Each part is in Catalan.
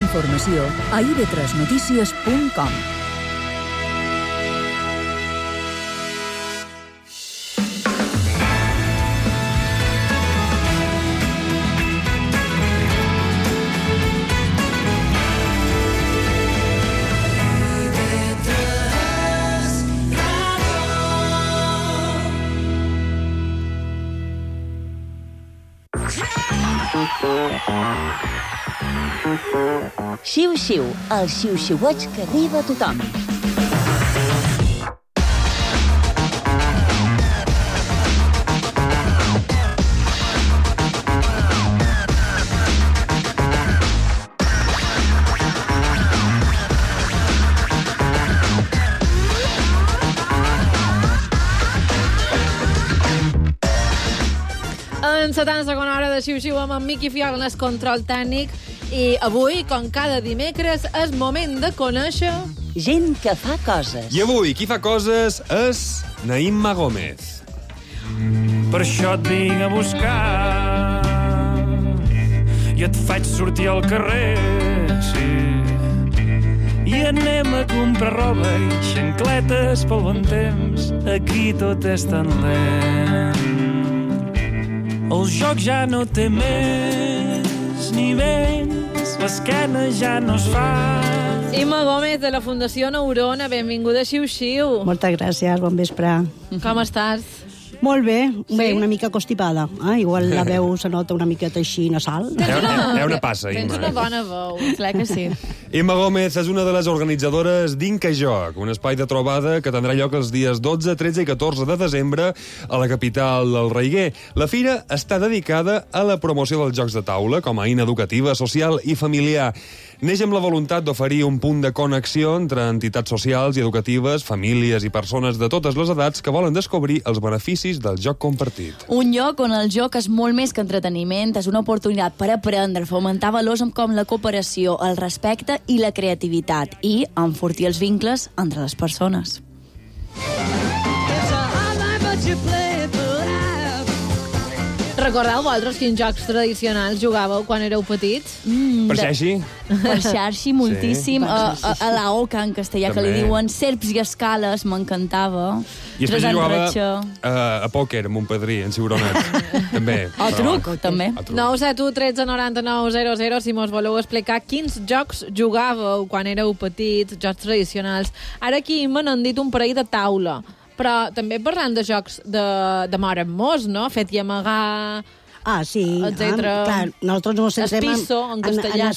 informació a ib3notícies.com. Xiu-xiu, el xiu-xiueig que arriba a tothom. En 70 hora de xiu-xiu amb en Miqui Fiol en el control tècnic. I avui, com cada dimecres, és moment de conèixer... gent que fa coses. I avui, qui fa coses és Naïma Gómez. Per això et vinc a buscar i et faig sortir al carrer, sí. I anem a comprar roba i xancletes pel bon temps. Aquí tot és tan lent. El joc ja no té més ni menys, l'esquena ja no es fa. Imma Gómez, de la Fundació Neurona, benvinguda a Xiu-Xiu. Moltes gràcies, bon vespre. Com estàs? Molt bé, Sí? una mica constipada. Igual la veu se nota una miqueta així nasal. Hi ha una passa, Tens Imma. una bona veu, clar que sí. Imma Gómez és una de les organitzadores d'Inca Joc, un espai de trobada que tindrà lloc els dies 12, 13 i 14 de desembre a la capital del Reiguer. La fira està dedicada a la promoció dels jocs de taula com a eina educativa, social i familiar. Neix amb la voluntat d'oferir un punt de connexió entre entitats socials i educatives, famílies i persones de totes les edats que volen descobrir els beneficis del joc compartit. Un lloc on el joc és molt més que entreteniment, és una oportunitat per aprendre, fomentar valors com la cooperació, el respecte i la creativitat i enfortir els vincles entre les persones. Recordeu vosaltres quins jocs tradicionals jugàveu quan éreu petits? Per xarxi? Per xarxi, moltíssim. Sí. A la Oca, en castellà, que li També. diuen serps i escales, m'encantava. I després Tres en jugava ratxa. a pòquer amb un padrí, en Ciuronet. També. O truc, també. A truc. 971 13 99 00, si mos voleu explicar quins jocs jugàveu quan éreu petits, jocs tradicionals. Ara aquí m'han dit un parell de taula, però també parlant de jocs de mort en mos, no? Fet i amagar... Sí. Etcètera. Clar, nosaltres ens centrem Espisso, en castellà,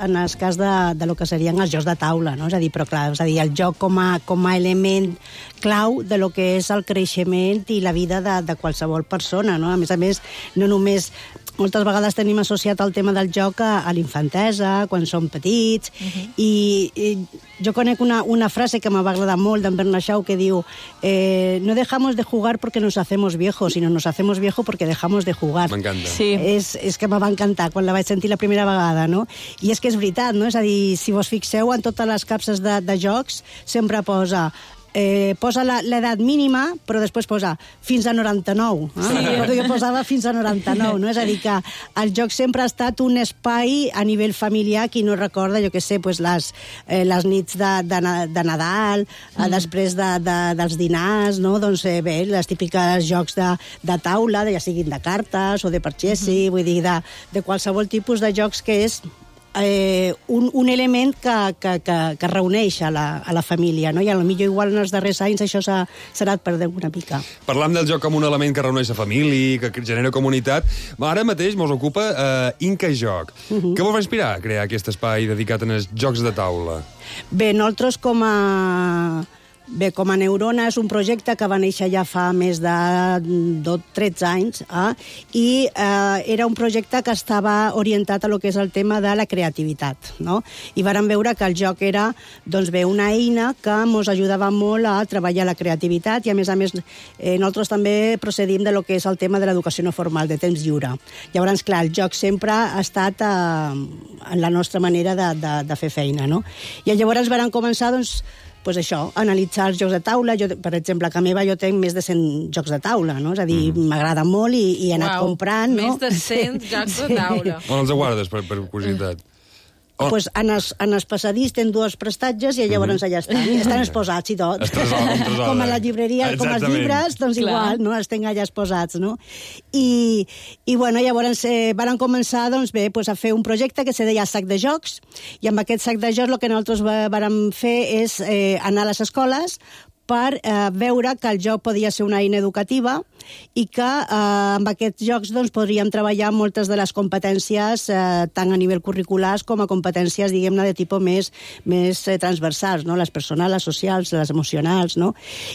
en el cas de lo que serien els jocs de taula, no? És a dir, però clar, és a dir, el joc com a element clau de lo que és el creixement i la vida de qualsevol persona, no? A més, no només... Moltes vegades tenim associat el tema del joc a l'infantesa, quan som petits, i jo conec una frase que m'ha agradat molt d'en Bernard Shaw que diu no dejamos de jugar porque nos hacemos viejos, sino nos hacemos viejos porque dejamos de jugar. M'encanta. Sí. És que me va encantar quan la vaig sentir la primera vegada, no? I és que és veritat, no? És a dir, si vos fixeu en totes les capses de jocs, sempre posa l'edat mínima, però després posa fins a 99. Sí. Jo posava fins a 99, no? És a dir, que el joc sempre ha estat un espai a nivell familiar, qui no recorda, jo què sé, pues les nits de Nadal, després dels dinars, no? Doncs bé, les típiques jocs de taula, ja siguin de cartes o de parxesi, vull dir, de qualsevol tipus de jocs que és un element que reuneix a la família, no? I potser igual en els darrers anys això s'ha anat perdent una mica. Parlam del joc com un element que reuneix la família, que genera comunitat. Ara mateix mos ocupa Inca Joc. Què vos va inspirar a crear aquest espai dedicat als jocs de taula? Bé, nosaltres com a Neurona és un projecte que va néixer ja fa més de 13 anys i era un projecte que estava orientat a lo que és el tema de la creativitat, no? I vàrem veure que el joc era doncs bé, una eina que ens ajudava molt a treballar la creativitat i a més nosaltres també procedim de lo que és el tema de l'educació no formal, de temps lliure. Llavors, clar, el joc sempre ha estat en la nostra manera de fer feina, no? I llavors vàrem començar, doncs, això, analitzar els jocs de taula. Jo, per exemple, a casa meva jo tenc més de 100 jocs de taula, no? És a dir, m'agrada molt i he anat comprant, no? Més de 100 jocs de taula. On els guardes, per curiositat? Pues en els passadís tenen dues prestatges i llavors allà estan exposats i tot. Com a la llibreria, com els llibres, doncs igual, no? Els tenen allà exposats, no? I bueno, llavors van començar, doncs bé, a fer un projecte que se deia Sac de Jocs, i amb aquest sac de jocs el que nosaltres vam fer és anar a les escoles per veure que el joc podia ser una eina educativa i que amb aquests jocs doncs, podríem treballar moltes de les competències tant a nivell curriculars com a competències, diguem-ne, de tipus més transversals, no? Les personals, les socials, les emocionals, no?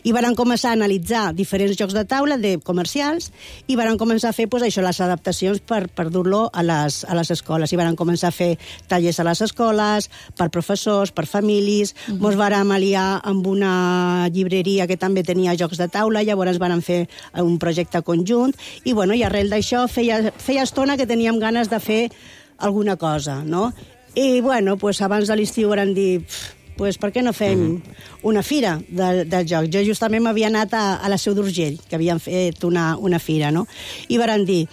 I van començar a analitzar diferents jocs de taula comercials i van començar a fer pues, això, les adaptacions per dur-lo a les escoles. I van començar a fer tallers a les escoles, per professors, per famílies. Ens vam aliar amb una llibreria que també tenia jocs de taula, llavors van fer un projecte conjunt i, bueno, i arrel d'això feia estona que teníem ganes de fer alguna cosa, no? I, bueno, pues, abans de l'estiu vam dir pues, per què no fem una fira del joc? Jo justament m'havia anat a la Seu d'Urgell, que havien fet una fira, no? I vam dir,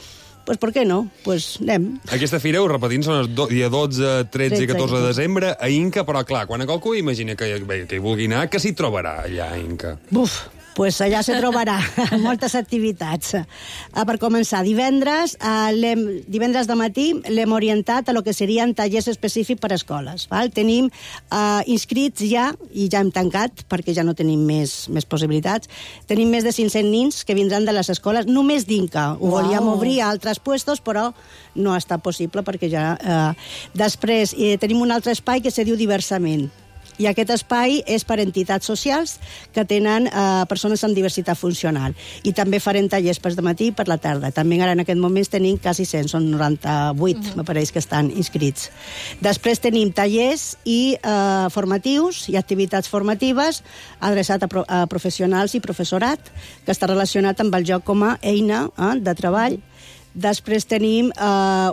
pues, per què no? Pues, anem. Aquesta fira, ho repetim, són els dia 12, 13 i 14 de desembre a Inca, però clar, quan qualcú imagina que hi vulgui anar, què s'hi trobarà allà a Inca? Buf! Pues allà se trobarà moltes activitats. Per començar, divendres de matí l'hem orientat a lo que serien tallers específics per a escoles. Val? Tenim inscrits ja, i ja hem tancat, perquè ja no tenim més possibilitats, tenim més de 500 nins que vindran de les escoles, només d'Inca. Ho volíem obrir a altres puestos, però no ha estat possible, perquè ja... Després, tenim un altre espai que se diu Diversament. I aquest espai és per entitats socials que tenen persones amb diversitat funcional. I també farem tallers per dematí i per la tarda. També ara en aquest moment tenim quasi 100, són 98, me pareix que estan inscrits. Després tenim tallers i formatius i activitats formatives adreçat a professionals i professorat, que està relacionat amb el joc com a eina de treball. Després tenim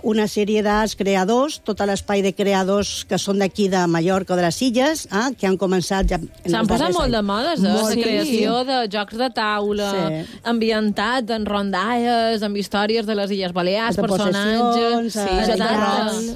una sèrie dels creadors, tot l'espai de creadors que són d'aquí de Mallorca o de les Illes, que han començat ja... S'han posat molt de modes, la creació de jocs de taula, ambientat en rondalles, amb històries de les Illes Balears, personatges...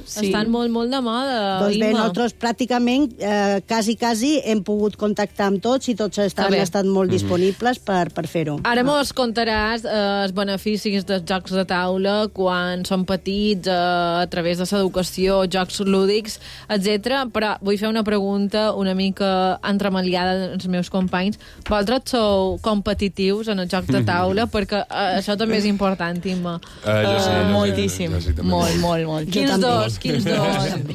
Estan molt de moda. Doncs bé, nosaltres pràcticament quasi hem pogut contactar amb tots i tots han estat molt disponibles per fer-ho. Ara mos contaràs els beneficis dels jocs de taula quan són petits, a través de l'educació, jocs lúdics, etc. Però vull fer una pregunta una mica entremaliada als meus companys. Vosaltres sou competitius en els jocs de taula? Perquè això també és important, Imma. Moltíssim. Molt. Quins dos?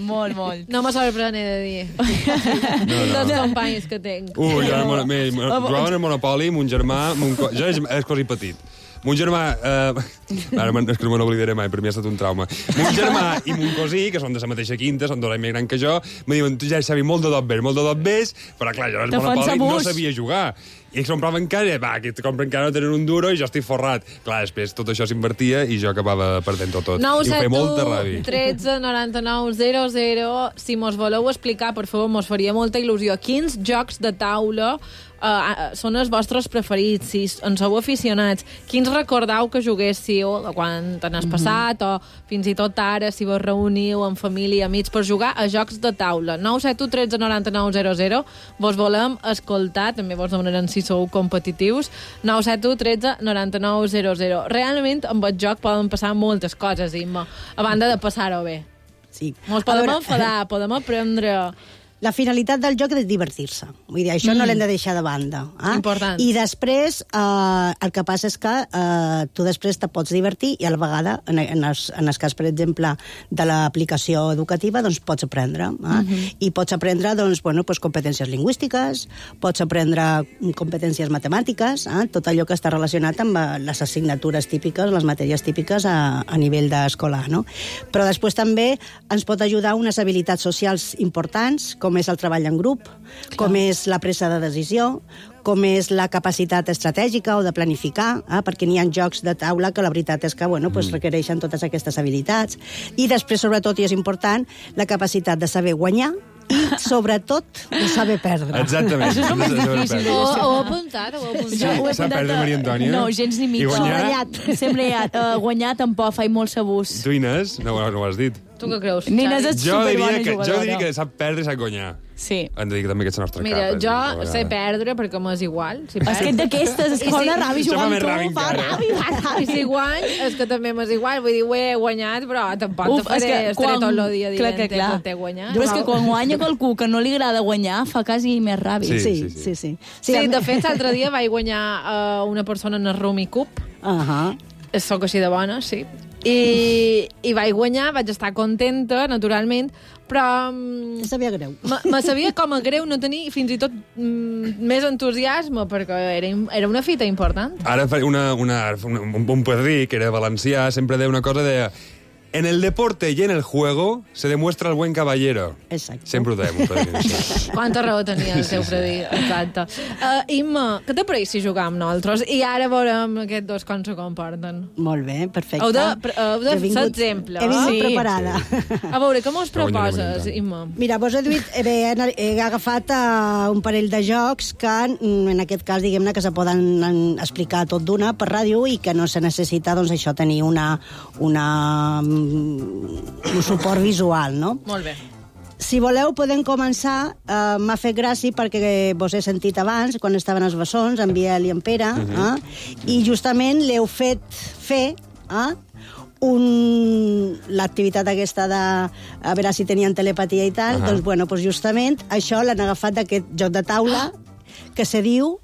Molt. No me sorprèn de dir. Dos companys que tenc. Jugaven al Monopoli, mon germà... Jo és quasi petit. Mon germà... és que no me n'oblidaré mai, per mi ha estat un trauma. Mon germà i mon cosí, que són de la mateixa quinta, són 2 anys més gran que jo, me diuen, tu ja sabi molt de dot vés, però clar, jo al Monopoli no sabia jugar. I compraven encara, que compren encara no tenen un duro i jo estic forrat. Clar, després tot això s'invertia i jo acabava perdent tot. 971 13 99 00. Si mos voleu explicar, per favor, mos faria molta il·lusió. Quins jocs de taula són els vostres preferits? Si en sou aficionats, quins recordeu que juguéssiu quan t'has passat o fins i tot ara, si vos reuniu amb família i amics per jugar a jocs de taula? 971 13 99 00. Vos volem escoltar, també vos demanarem si sou competitius. 971 13 99 00. Realment amb el joc poden passar moltes coses, Imma, a banda de passar-ho bé. Sí. Ens podem enfadar, podem aprendre... La finalitat del joc és divertir-se. Vull dir, això no l'hem de deixar de banda. Important. I després, el que passa és que tu després te pots divertir i a la vegada, en el cas, per exemple, de l'aplicació educativa, doncs pots aprendre. I pots aprendre competències lingüístiques, pots aprendre competències matemàtiques, tot allò que està relacionat amb les assignatures típiques, les matèries típiques a nivell d'escolar. No? Però després també ens pot ajudar unes habilitats socials importants, com és el treball en grup, com és la presa de decisió, com és la capacitat estratègica o de planificar, perquè n'hi ha jocs de taula que la veritat és que requereixen totes aquestes habilitats. I després, sobretot, i és important, la capacitat de saber guanyar i, sobretot, de saber perdre. Exactament. Això és el més difícil. Ho heu apuntat? S'ha perdre, Maria Antònia? No, gens ni mig. I guanyar? Sempre guanyar tampoc, faig molt sabús. Tu, Inés, no ho has dit. Tu què creus, Nines Xavi? és Jo superbona diria jugadora. que sap perdre i sap guanyar. Sí. Hem de dir també que és la nostra Mira, capa. jo sé perdre perquè m'és igual. Si És que d'aquestes, és que fa una ràbia Això fa jugar amb més ràbia tu, fa encara. ràbia. I si guany, és que també m'és igual. Vull dir, ho he guanyat, però tampoc te faré estaré tot el dia dient que t'he guanyat. Però és que quan guanya qualcú que no li agrada guanyar, fa quasi més ràbia. Sí. Sí, de fet, l'altre dia vaig guanyar una persona en el Rumi Cup. Soc així de bona, sí. I vaig guanyar, vaig estar contenta, naturalment, però... Em sabia greu. Me sabia com a greu no tenir fins i tot més entusiasme, perquè era una fita important. Ara un padrí, que era valencià, sempre deia una cosa, deia... En el deporte y en el juego se demuestra el buen caballero. Exacte. Sempre ho dèiem, un padrí. Quanta raó tenia el seu predí, exacte. Imma, què t'apareix jugar amb nosaltres? I ara veurem aquests dos com se comporten. Molt bé, perfecte. Heu de ser exemple. He vingut Sí. preparada. A veure, com us Però guanyarem proposes, tant. Imma? Mira, vos he agafat un parell de jocs que, en aquest cas, diguem-ne, que se poden explicar tot d'una per ràdio i que no se necessita, doncs, això, tenir un suport visual, no? Molt bé. Si voleu, podem començar. M'ha fet gràcia perquè vos he sentit abans, quan estaven els bessons, en Biel i en Pere, i justament l'heu fet fer l'activitat aquesta de a veure si tenien telepatia i tal, doncs, bueno, doncs justament això l'han agafat d'aquest joc de taula que se diu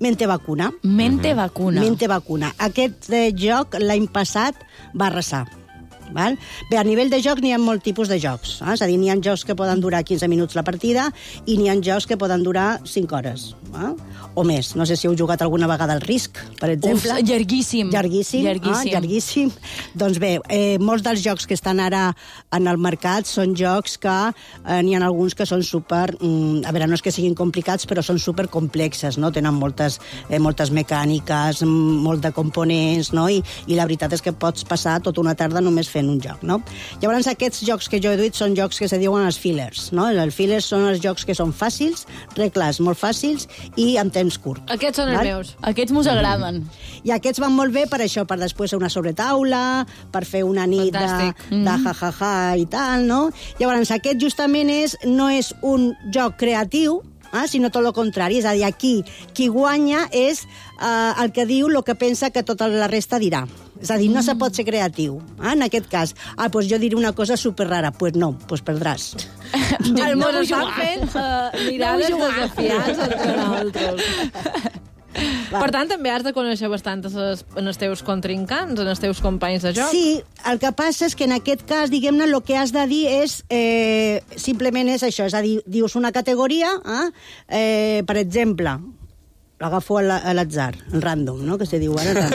Mente Vacuna. Mente vacuna. Mente Vacuna. Aquest joc l'any passat va arrasar. Val? Bé, a nivell de joc n'hi ha molt tipus de jocs. És a dir, n'hi ha jocs que poden durar 15 minuts la partida i n'hi ha jocs que poden durar 5 hores. O més. No sé si heu jugat alguna vegada al Risk, per exemple. Uf, llarguíssim. Llarguíssim. Doncs bé, molts dels jocs que estan ara en el mercat són jocs que n'hi ha alguns que són super... a veure, no és que siguin complicats, però són super complexes, no? Tenen moltes mecàniques, molt de components, no? I la veritat és que pots passar tota una tarda només fent un joc, no? Llavors, aquests jocs que jo he duit són jocs que se diuen els fillers, no? Els fillers són els jocs que són fàcils, regles molt fàcils i amb temps curt. Aquests són els meus. Aquests mos agraden. I aquests van molt bé per això, per després una sobretaula, per fer una nit de ja-ja-ja i tal, no? Llavors, aquest justament no és un joc creatiu, sinó tot el contrari. És a dir, aquí qui guanya és el que diu el que pensa que tota la resta dirà. És a dir, no se pot ser creatiu. En aquest cas, doncs jo diré una cosa superrara. Doncs no, doncs perdràs. Mos estan fent mirades desafiants entre nosaltres. Per tant, també has de conèixer bastant els teus contrincants, els teus companys de joc. Sí, el que passa és que en aquest cas, diguem-ne, el que has de dir és simplement és això, és a dir, dius una categoria, per exemple, l'agafo a l'atzar, en random, no?, que se diu ara.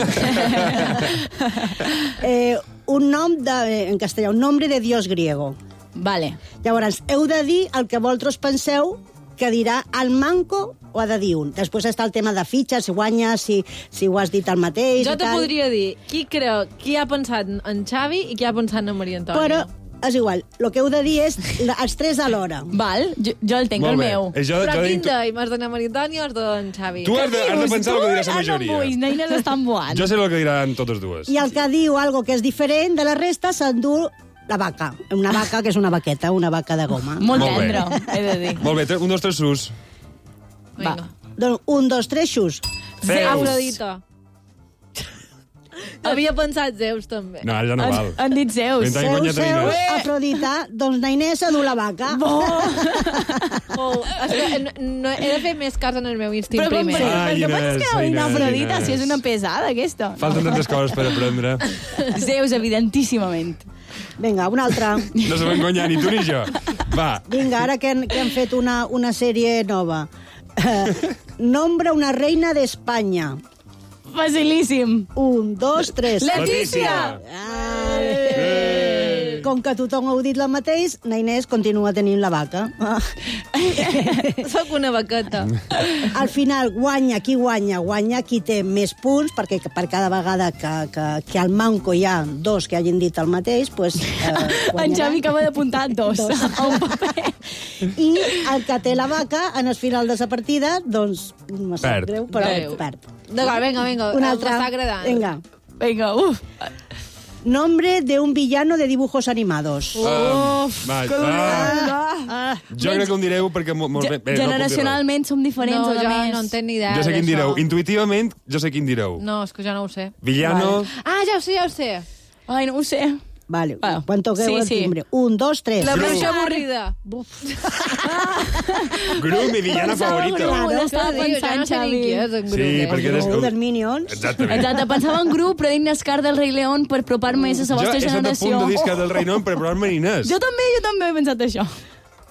Un nom, en castellà, un nombre de dios griego. Vale. Llavors, heu de dir el que vosaltres penseu que dirà el manco o ha de dir un. Després està el tema de fitxes, si guanyes, si ho has dit el mateix. Jo te podria dir qui ha pensat en Xavi i qui ha pensat en Maria Antònia. Però és igual, el que heu de dir és els tres alhora. Val, jo el tinc, el meu. Però quin d'ell? M'has d'anar Maria Antònia o has d'en Xavi? Tu has de pensar el que diràs la majoria. No vull, neines estan boant. Jo sé el que diran totes dues. I el que diu algo que és diferent de la resta s'endú la vaca. Una vaca que és una vaqueta, una vaca de goma. Molt tendre, he de dir. Molt bé, 1, 2, 3, sus. Va. Doncs 1, 2, 3, xus. Zeus. Afrodita. Havia pensat Zeus, també. No, ara ja no val. Han dit Zeus. Mentre han guanyat Zeus, Inés. Afrodita, doncs na Inés s'endú la vaca. És que no, he de fer més cas en el meu instint Però com primer. per què Inés, penses que Inés, una Afrodita, Inés. si és una pesada, aquesta? Falten tantes coses per aprendre. Zeus, evidentíssimament. Vinga, una altra. No sabem guanyar ni tu ni jo. Va. Vinga, ara que han fet una sèrie nova. Nombra una reina d'Espanya. Facilíssim. 1, 2, 3. Letícia! Com que tothom ha dit el mateix, na Inés continua tenint la vaca. Soc una vaqueta. Al final, guanya qui té més punts, perquè per cada vegada que al manco hi ha dos que hagin dit el mateix, pues, En Xavi acaba d'apuntar dos. A un paper. I el que té la vaca, en el final de la partida, doncs, me sap Perd. greu, però Greu. perd. D'acord, vinga. Una altra. M'està agradant. Vinga. Vinga, uf. Nombre de un villano de dibujos animados. Jo crec que em direu perquè... Generacionalment som diferents, No, a jo més. no en tenc ni idea Jo sé quin direu. d'això. Intuïtivament, jo sé quin direu. No, és que jo no ho sé. Villano... Ah, ja ho sé. Ai, no ho sé. Vale, Va. quan toqueu el timbre. 1, 2, 3. La Gru. versió avorrida. Gru, mi villano favorito. Gru. Què Estava dius? Ja no sé pensant, ni qui és, en Gru. Sí, perquè eres... Gru dels Minions. Exactament. Exacte, pensava en grup, però dic Nascar del Rei León per apropar-me més a la Jo vostra he estat a generació. punt de discar del Rei Non per provar-me Inés. Jo també he pensat això.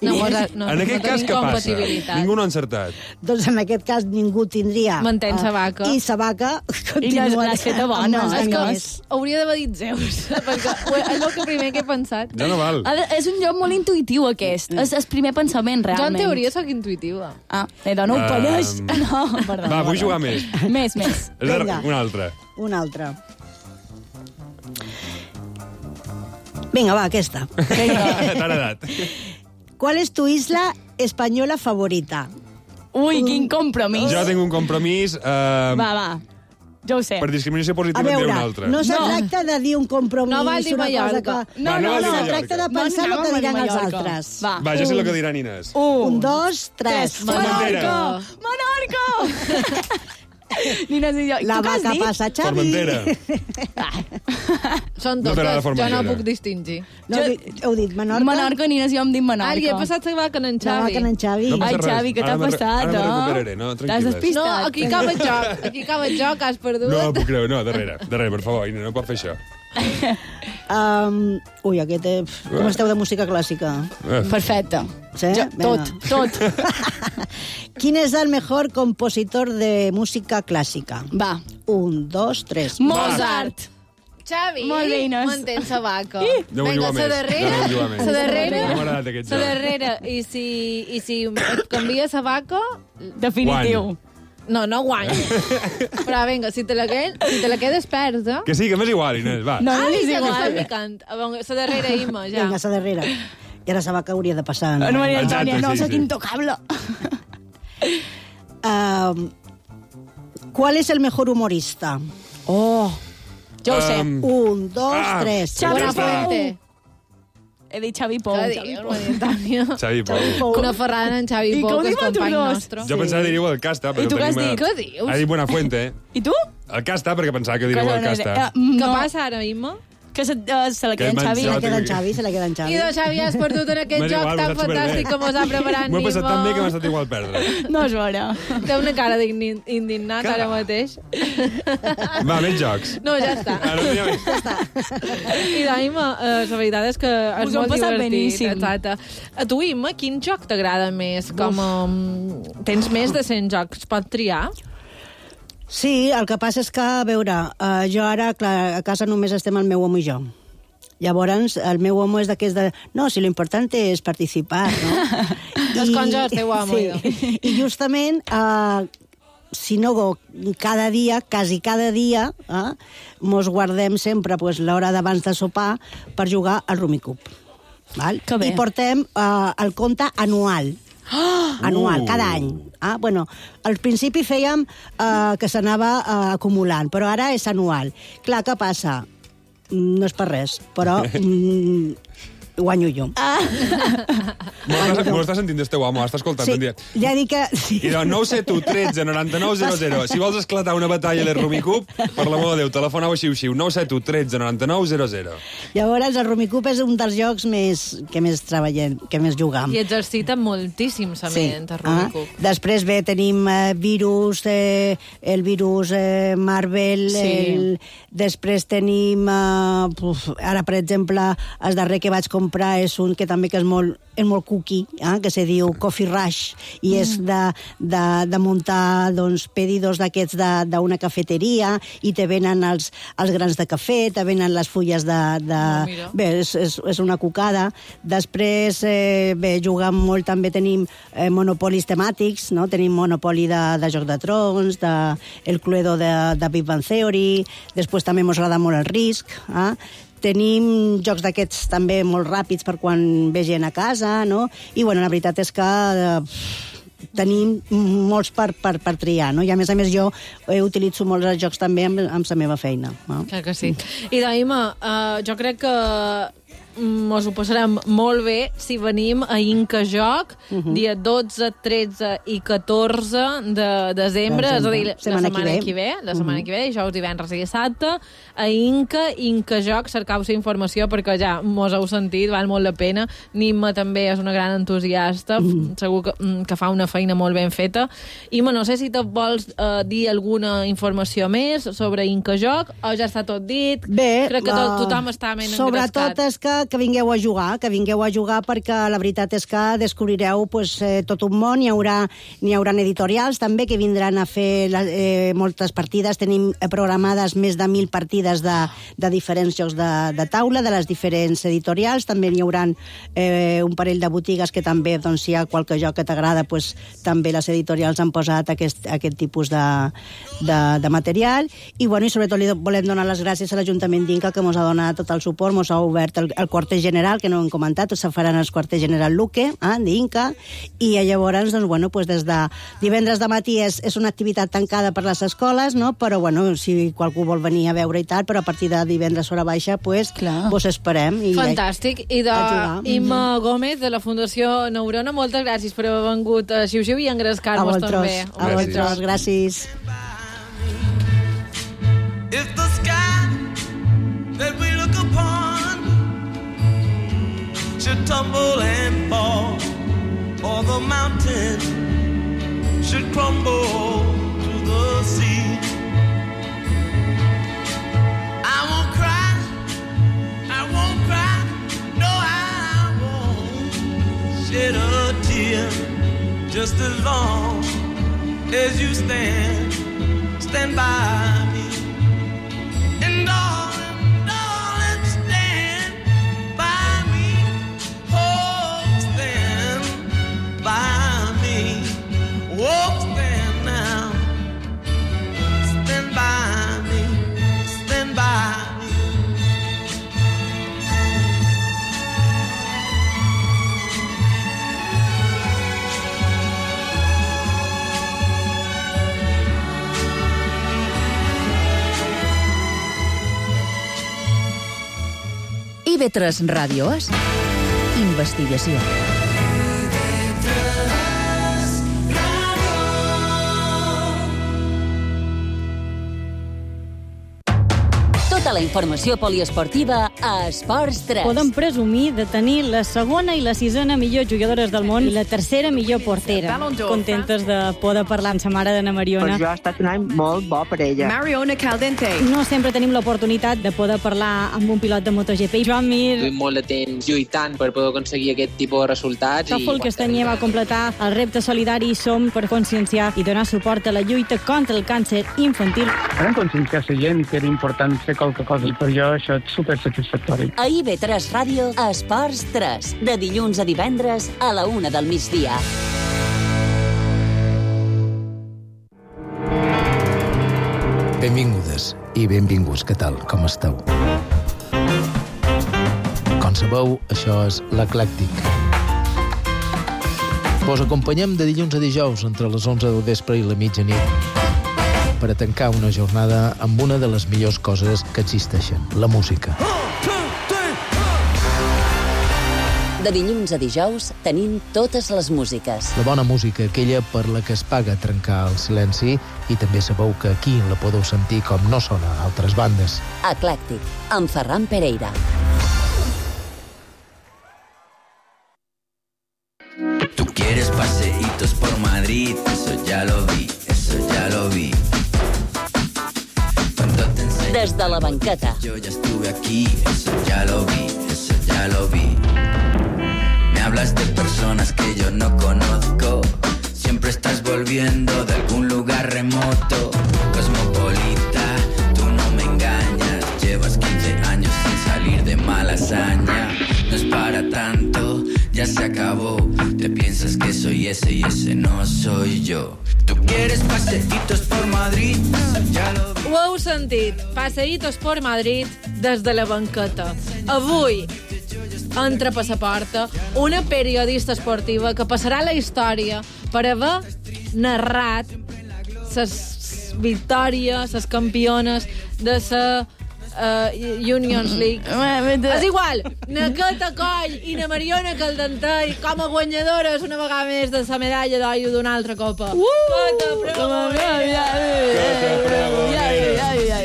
No, En aquest cas, què passa? compatibilitat. Ningú no ha encertat. Doncs en aquest cas ningú tindria... Mantén sa vaca. I sa vaca I l'has feta bona. amb els És que animals. hauria d'haver dit Zeus, perquè és el que primer que he pensat. Ja no val. És un lloc molt intuïtiu, aquest. És el primer pensament, Jo, en realment. teoria, sóc intuïtiva. Ah, no ho coneix. No, perdó. Va, vull jugar més. Més. Vinga. Una altra. Una altra. Vinga, va, aquesta. Vinga. T'ha agradat. ¿Cuál es tu isla española favorita? Ui, quin compromís. Jo tinc un compromís... Va. Jo ho sé. Per discriminació A positiva en diré veure, un altre. no se tracta de dir un compromís, No val dir una cosa Mallorca. que... Va, no val dir se Mallorca. tracta de pensar el que diran els altres. Va. Va, jo sé el que diran Inés. 1, 2, 3. Formentera. Menorca! Nina, si jo... La tu què has vaca dit? passa, Xavi. Formentera. Són No t'agrada totes, jo no Formentera. puc distingir. No, heu dit Menorca? Menorca, Nina, si jo em dic Menorca. Ara, he passat la vaca en La Xavi. vaca en Xavi. No passa Ai, res. Xavi, què t'ha Ara passat, ara me recuperaré, no? T'has Tranquil·les. despistat. No, aquí acaba el joc. Aquí acaba el joc, has perdut. No puc creure, no, darrere, per favor, Inés, no pot fer això. Ui, aquest... Com esteu de música clàssica? Perfecte. Sí? Jo, Vinga. tot. ¿Quién es el mejor compositor de música clásica? Va. 1, 2, 3. Mozart. Xavi, Molt bé, Inés. mantén sa vaca. No vull Vinga, jugar sa més. darrera, No vull jugar més. sa darrera, No m'ha agradat aquest sa joc. darrera. I si et canvia sa vaca, Definitiu. no guany. Però vinga, si te la quedes perds, Que sí, que m'és igual, Inés, va. No, Ai, és ja que igual. està picant. A veure, sa darrera, Imma, ja. Vinga, sa darrera. I ara sa vaca hauria de passar. No, Maria Antònia, Exacte, no, sí, sóc sí. intocable. ¿Cuál es el mejor humorista? Oh, jo ho sé. 1, 2, 3. Xavi Bona Pou. fuente. He dit Xavi Pou. Què dius, Maria Antònia? Xavi Pou. Una ferrada en Xavi I Pou, com que és diu company tu dos? nostre. Jo pensava que diríeu el Casta, però I tu què has tenim... dit? Què dius? Ha dit Buenafuente. I tu? El Casta, perquè pensava que diríeu el Casta. Què passa ara, Imma? Que se la queda en Que Xavi. Se la Jo queda en tinc- Xavi, se la queda en Xavi. I doncs, Xavi, has perdut en aquest M'és joc igual, tan m'ha estat superbé. fantàstic que mos ha preparat M'ho he passat tan bé que m'ha Imma. estat igual perdre. No és vera. Té una cara d'indignat ara mateix. Va, més jocs. No, ja està. Ara no hi ha més. I d'Imma, la veritat és que és Us ho molt hem passat divertit. beníssim. Exacte. A tu, Imma, quin joc t'agrada més? Com, tens més de 100 jocs, pots triar? Sí, el que passa és que, a veure, jo ara, clar, a casa només estem el meu home i jo. Llavors, el meu home és d'aquests de... No, si lo importante és participar, no? Doncs com jo, el teu home, sí. I justament, si no cada dia, quasi cada dia, mos guardem sempre pues, l'hora d'abans de sopar per jugar al Rumicup. Val? Que bé. I portem el compte anual. Anual, cada any. Bueno, al principi fèiem que s'anava acumulant, però ara és anual. Clar, què passa? No és per res, però guanyo jo. M'ho està sentint el teu home, està escoltant. Sí, Sí. ja dic que... Sí. I doncs 971 13 99 00. Si vols esclatar una batalla de Rumicup, per l'amor de Déu, telefonau a xiu-xiu 971 13 99 00. Llavors, el Rumicup és un dels jocs que més treballem, que més jugam. I exercita moltíssim sa ment, el Rumicup. Després bé, tenim virus, el virus Marvel, Sí. després tenim, ara per exemple, el darrer que vaig comprar és un que també que és molt cookie, que se diu Coffee Rush, i és de muntar doncs, pedidos d'aquests d'una cafeteria, i te venen els grans de cafè, te venen les fulles mira. Bé, és una cucada. Després, bé, jugam molt, també tenim monopolis temàtics, no? Tenim monopoli de Joc de Trons, el Cluedo de Big Bang Theory, després també mos agrada molt el Risk, Tenim jocs d'aquests també molt ràpids per quan ve gent a casa, no? I, bueno, la veritat és que tenim molts per triar, no? I a més jo utilitzo molts els jocs també amb la meva feina. No? Clar que sí. I Daima, jo crec que mos ho passarem molt bé si venim a Inca Joc dia 12, 13 i 14 de desembre, és a dir, la setmana que ve, dijous, divendres i dissabte, a Inca Joc, cercau-se informació perquè ja mos heu sentit, val molt la pena. Nimma també és una gran entusiasta, segur que fa una feina molt ben feta. Imma, no sé si te vols dir alguna informació més sobre Inca Joc, o ja està tot dit? Bé, crec que tothom està ben engrescat. Sobretot és que vingueu a jugar, perquè la veritat és que descobrireu tot un món. N'hi haurà editorials també que vindran a fer moltes partides. Tenim programades més de 1.000 partides de diferents jocs de taula, de les diferents editorials. També n'hi haurà un parell de botigues que també, si hi ha qualque joc que t'agrada, també les editorials han posat aquest tipus de material. I sobretot li volem donar les gràcies a l'Ajuntament d'Inca, que ens ha donat tot el suport, ens ha obert el quarter general, que no hem comentat, se faran el quarter general Luque, d'Inca, i llavors, des de divendres de matí és una activitat tancada per les escoles, no? Però, si qualcú vol venir a veure i tal, però a partir de divendres hora baixa, vos esperem. Fantàstic. I Imma Gómez, de la Fundació Neurona, moltes gràcies per haver vengut a Xiu-Xiu i engrescar-vos també. A vosaltres, gràcies. If the sky that we look upon should tumble and fall, or the mountain should crumble to the sea, I won't cry, no, I won't shed a tear, just as long as you stand by me. And darling, stand by me. Oh, stand by me. Oh, stand now. Stand by me. Stand by me. IB3 Ràdio és investigació. Tota la informació poliesportiva a Esports 3. Podem presumir de tenir la segona i la sisena millor jugadores del món i la tercera millor portera. Contentes de poder parlar amb sa mare d'Anna Mariona. Per jo ha estat un any molt bo per ella. Mariona Caldente. No sempre tenim l'oportunitat de poder parlar amb un pilot de MotoGP. Joan Mir. Duim molt de temps lluitant per poder aconseguir aquest tipus de resultats. Tòfol Castanyer va completar el repte solidari Som per conscienciar i donar suport a la lluita contra el càncer infantil. Vam conscienciar la gent que era important fer qualque cosa i per jo això és supersatisfactori. A IB3 Ràdio, Esports 3, de dilluns a divendres a la 1 del migdia. Benvingudes i benvinguts, què tal, com esteu? Com sabeu, això és l'Eclèctic. Vos acompanyem de dilluns a dijous entre les 11 del vespre i la mitjanit per a tancar una jornada amb una de les millors coses que existeixen, la música. De dilluns a dijous tenim totes les músiques. La bona música, aquella per la que es paga trencar el silenci, i també sabeu que aquí la podeu sentir com no sona a altres bandes. Eclèctic, amb Ferran Pereira. Tú quieres paseitos por Madrid, eso ya lo vi, eso ya lo vi. Des de la banqueta. Yo ya estuve aquí, eso ya lo vi, eso ya lo vi. Me hablas de personas que yo no conozco. Siempre estás volviendo de algún lugar remoto. Cosmopolita, tú no me engañas. Llevas 15 años sin salir de Malasaña. No es para tanto, ya se acabó. Te piensas que soy ese y ese no soy yo. Tú quieres paseitos por Madrid, ya lo vi. Ho heu sentit, paseitos por Madrid des de la banqueta. Avui entra per la porta una periodista esportiva que passarà a la història per haver narrat les victòries, les campiones de la Unions League. És igual, na Cata Coll i na Mariona Caldentell com a guanyadores una vegada més de la medalla d'or d'una altra copa.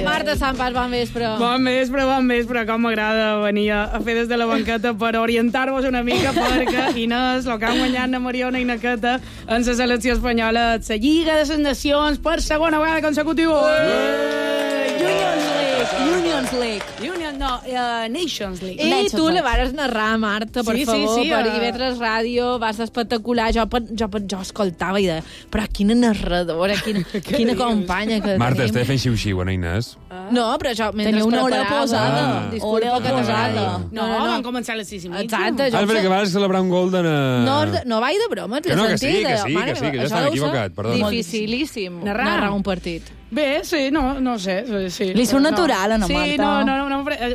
Marta Sampas, bon vespre. Bon vespre, com m'agrada venir a fer des de la banqueta per orientar-vos una mica, perquè Inés, el que han guanyat na Mariona i na Cata en la selecció espanyola, la Lliga de les Nacions per segona vegada consecutiva. Nations League. I tu la vares narrar, Marta, per favor, sí, per IB3 Ràdio, va ser espectacular. Jo escoltava i deia, però quina narradora, quina companya que Marta, tenim. estava fent xiu-xiu, no, Inés? No, però jo mentre tenia una hora preparava... posada. Disculpa que t'agrada. No, van començar a les 6:30. Exacte. Perquè vas celebrar un gol de... No vaig de broma, que no, que sí, que jo estava equivocat, perdó. Dificilíssim narrar un partit. Bé, sí, no sé. Sí. Li surt natural, a Marta. Sí, no,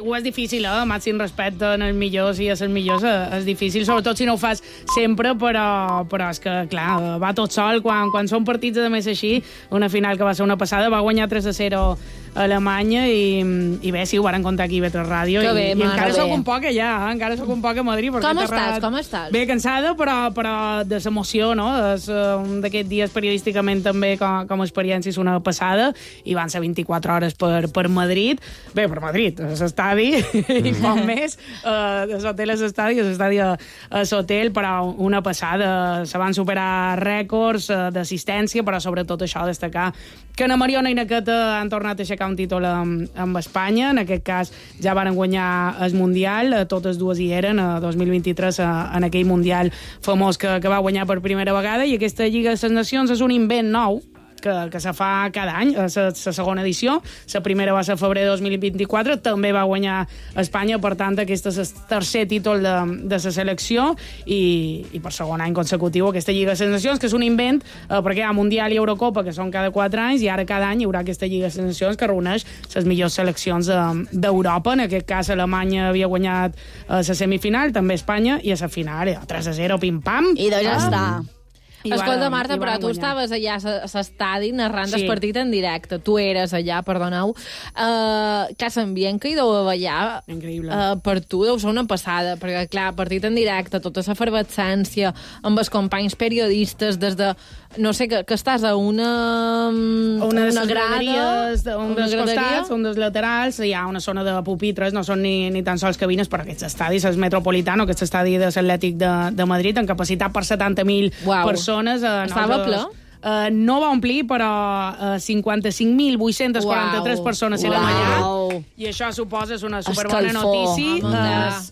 ho és difícil, màxim respecte en els millors i a els millors és difícil, sobretot si no ho fas sempre, però és que, clar, va tot sol. Quan són partits de més així, una final que va ser una passada, va guanyar 3-0 a Alemanya i bé, sí, ho varen contar aquí a IB3 Ràdio i encara sóc un poc allà, encara sóc un poc a Madrid. Com estàs? Bé, cansada, però de l'emoció, no? És un d'aquests dies periodísticament també com a experiència és una passada i van ser 24 hores per Madrid. Bé, per Madrid, a l'estadi i poc més. L'hotel a l'estadi, l'estadi a l'hotel, però una passada. Se van superar rècords d'assistència, però sobretot això, destacar que na Mariona i na Cata han tornat a aixecar un títol amb Espanya. En aquest cas ja varen guanyar el Mundial, totes dues hi eren, a 2023, en aquell Mundial famós que va guanyar per primera vegada, i aquesta Lliga de les Nacions és un invent nou que se fa cada any, la segona edició. La primera va ser febrer de 2024, també va guanyar Espanya, per tant, aquest és el tercer títol de la selecció i per segon any consecutiu aquesta Lliga de les Nacions, que és un invent, perquè hi ha Mundial i Eurocopa, que són cada 4 anys, i ara cada any hi haurà aquesta Lliga de les Nacions que reuneix les millors seleccions d'Europa. En aquest cas, Alemanya havia guanyat la semifinal, també Espanya, i a la final 3-0, pim-pam. I ja està. Escolta, Marta, però tu estaves allà a l'estadi narrant el partit en directe. Tu eres allà, perdoneu. Que l'ambient que hi deu haver allà per tu deu ser una passada, perquè, clar, partit en directe, tota la efervescència, amb els companys periodistes, des de... No sé, que estàs a una grada... Un dels costats, un dels laterals, hi ha una zona de pupitres, no són ni tan sols cabines, però aquests estadis, el Metropolitano, aquest estadi de l'Atlètic de Madrid, amb capacitat per 70.000 persones. Estava ple? No va omplir, però 55.843 persones eren allà, i això suposa una superbona notícia.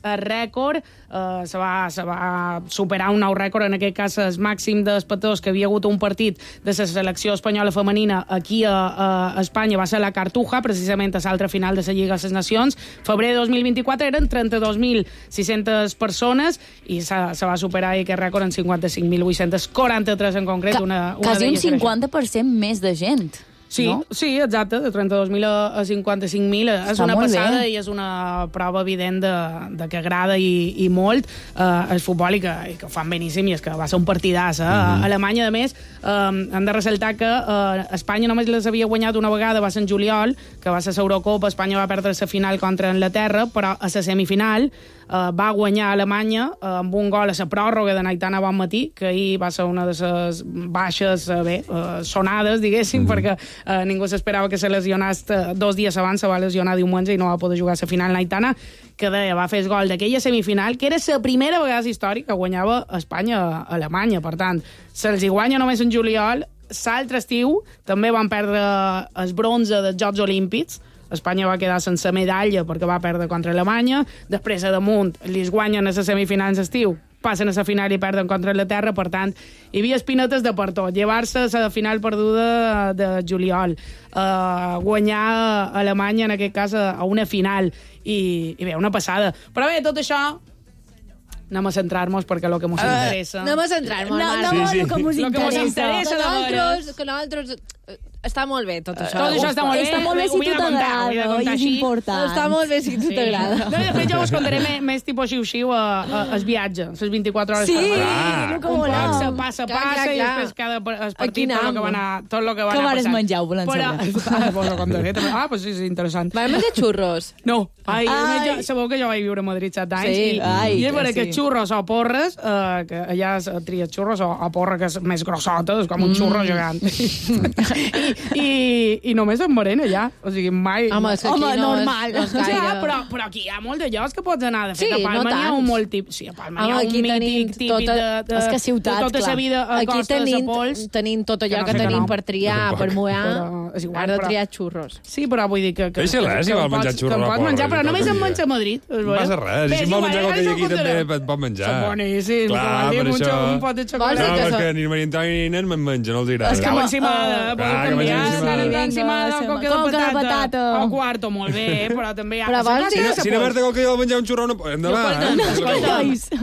El rècord se va superar un nou rècord, en aquest cas el màxim d'espectadors que havia hagut un partit de la selecció espanyola femenina aquí a Espanya va ser la Cartuja, precisament a l'altra final de la Lliga de les Nacions. Febrer de 2024 eren 32.600 persones i se va superar aquest rècord en 55.843 en concret. Quasi un 50% més de gent. Sí, no? Sí, exacte, de 32.000 a 55.000 és una passada i és una prova evident de que agrada i molt el futbol i que ho fan beníssim, i és que va ser un partidàs. Alemanya, a més, hem de ressaltar que Espanya només les havia guanyat una vegada, va ser en juliol, que va ser l'Eurocopa. Espanya va perdre la final contra Anglaterra, però a la semifinal va guanyar Alemanya amb un gol a la pròrroga de Aitana Bonmatí, que ahir va ser una de les baixes sonades, diguéssim, perquè ningú s'esperava que se lesionés 2 dies abans. Se va lesionar diumenge i no va poder jugar a la final. Aitana, que va fer el gol d'aquella semifinal, que era la primera vegada històrica que guanyava Espanya a Alemanya. Per tant, se'ls hi guanya només en juliol. L'altre estiu també van perdre el bronze dels Jocs Olímpics. Espanya va quedar sense medalla perquè va perdre contra Alemanya. Després, a damunt, li guanyen a les semifinals d'estiu, passen a la final i perden contra Anglaterra. Per tant, hi havia espinetes de per tot. Llevar-se a la final perduda de juliol, guanyar a Alemanya, en aquest cas, a una final, i bé, una passada. Però bé, tot això anem a centrar-nos, perquè el que ens interessa... Anem a centrar-nos. No, el que ens interessa. Que nosaltres Està molt bé, tot això. Tot això està molt bé. Està molt bé si tu t'agrada, i és important. Està molt bé si tu t'agrada. De fet, jo us contaré més tipus xiu-xiu al viatge, les 24 hores sí, per el que un voleu. poc passa, i després cada partit tot el que va anar passant. Què vares menjar, ho volem saber. Pues sí, és interessant. Vam menjar xurros? No. Sabeu que jo vaig viure a Madrid 7 anys i és vera que xurros o porres, que allà tries xurros o porra que és més grossota, és com un xurro gegant. I només en berenar allà. O sigui, mai... Home, normal. No és gaire. Però aquí hi ha molt de llocs que pots anar. De fet, a Palma n'hi ha un molt típic. Sí, a Palma n'hi ha un mític típic de... És que ciutat, tota la vida a Costa de Pols. Tenim tot allò que tenim per triar, per moar. Ara de triar xurros. Sí, però vull dir que... Deixa-la, si vol menjar xurros. Que pots menjar, però només en menja a Madrid. No passa res. Si vol menjar qualque aquí també et pot menjar. Són boníssims. Clar, per això... Un pot de xocolata. No, perquè ni Maria Antònia ni nen me'n mengen, no els agrada. És que m'encimada, podeu canviar. Encimada, coca de patata. O quarto, molt bé, però també hi ha... Si no Marta que jo menjar un xurro, endavant.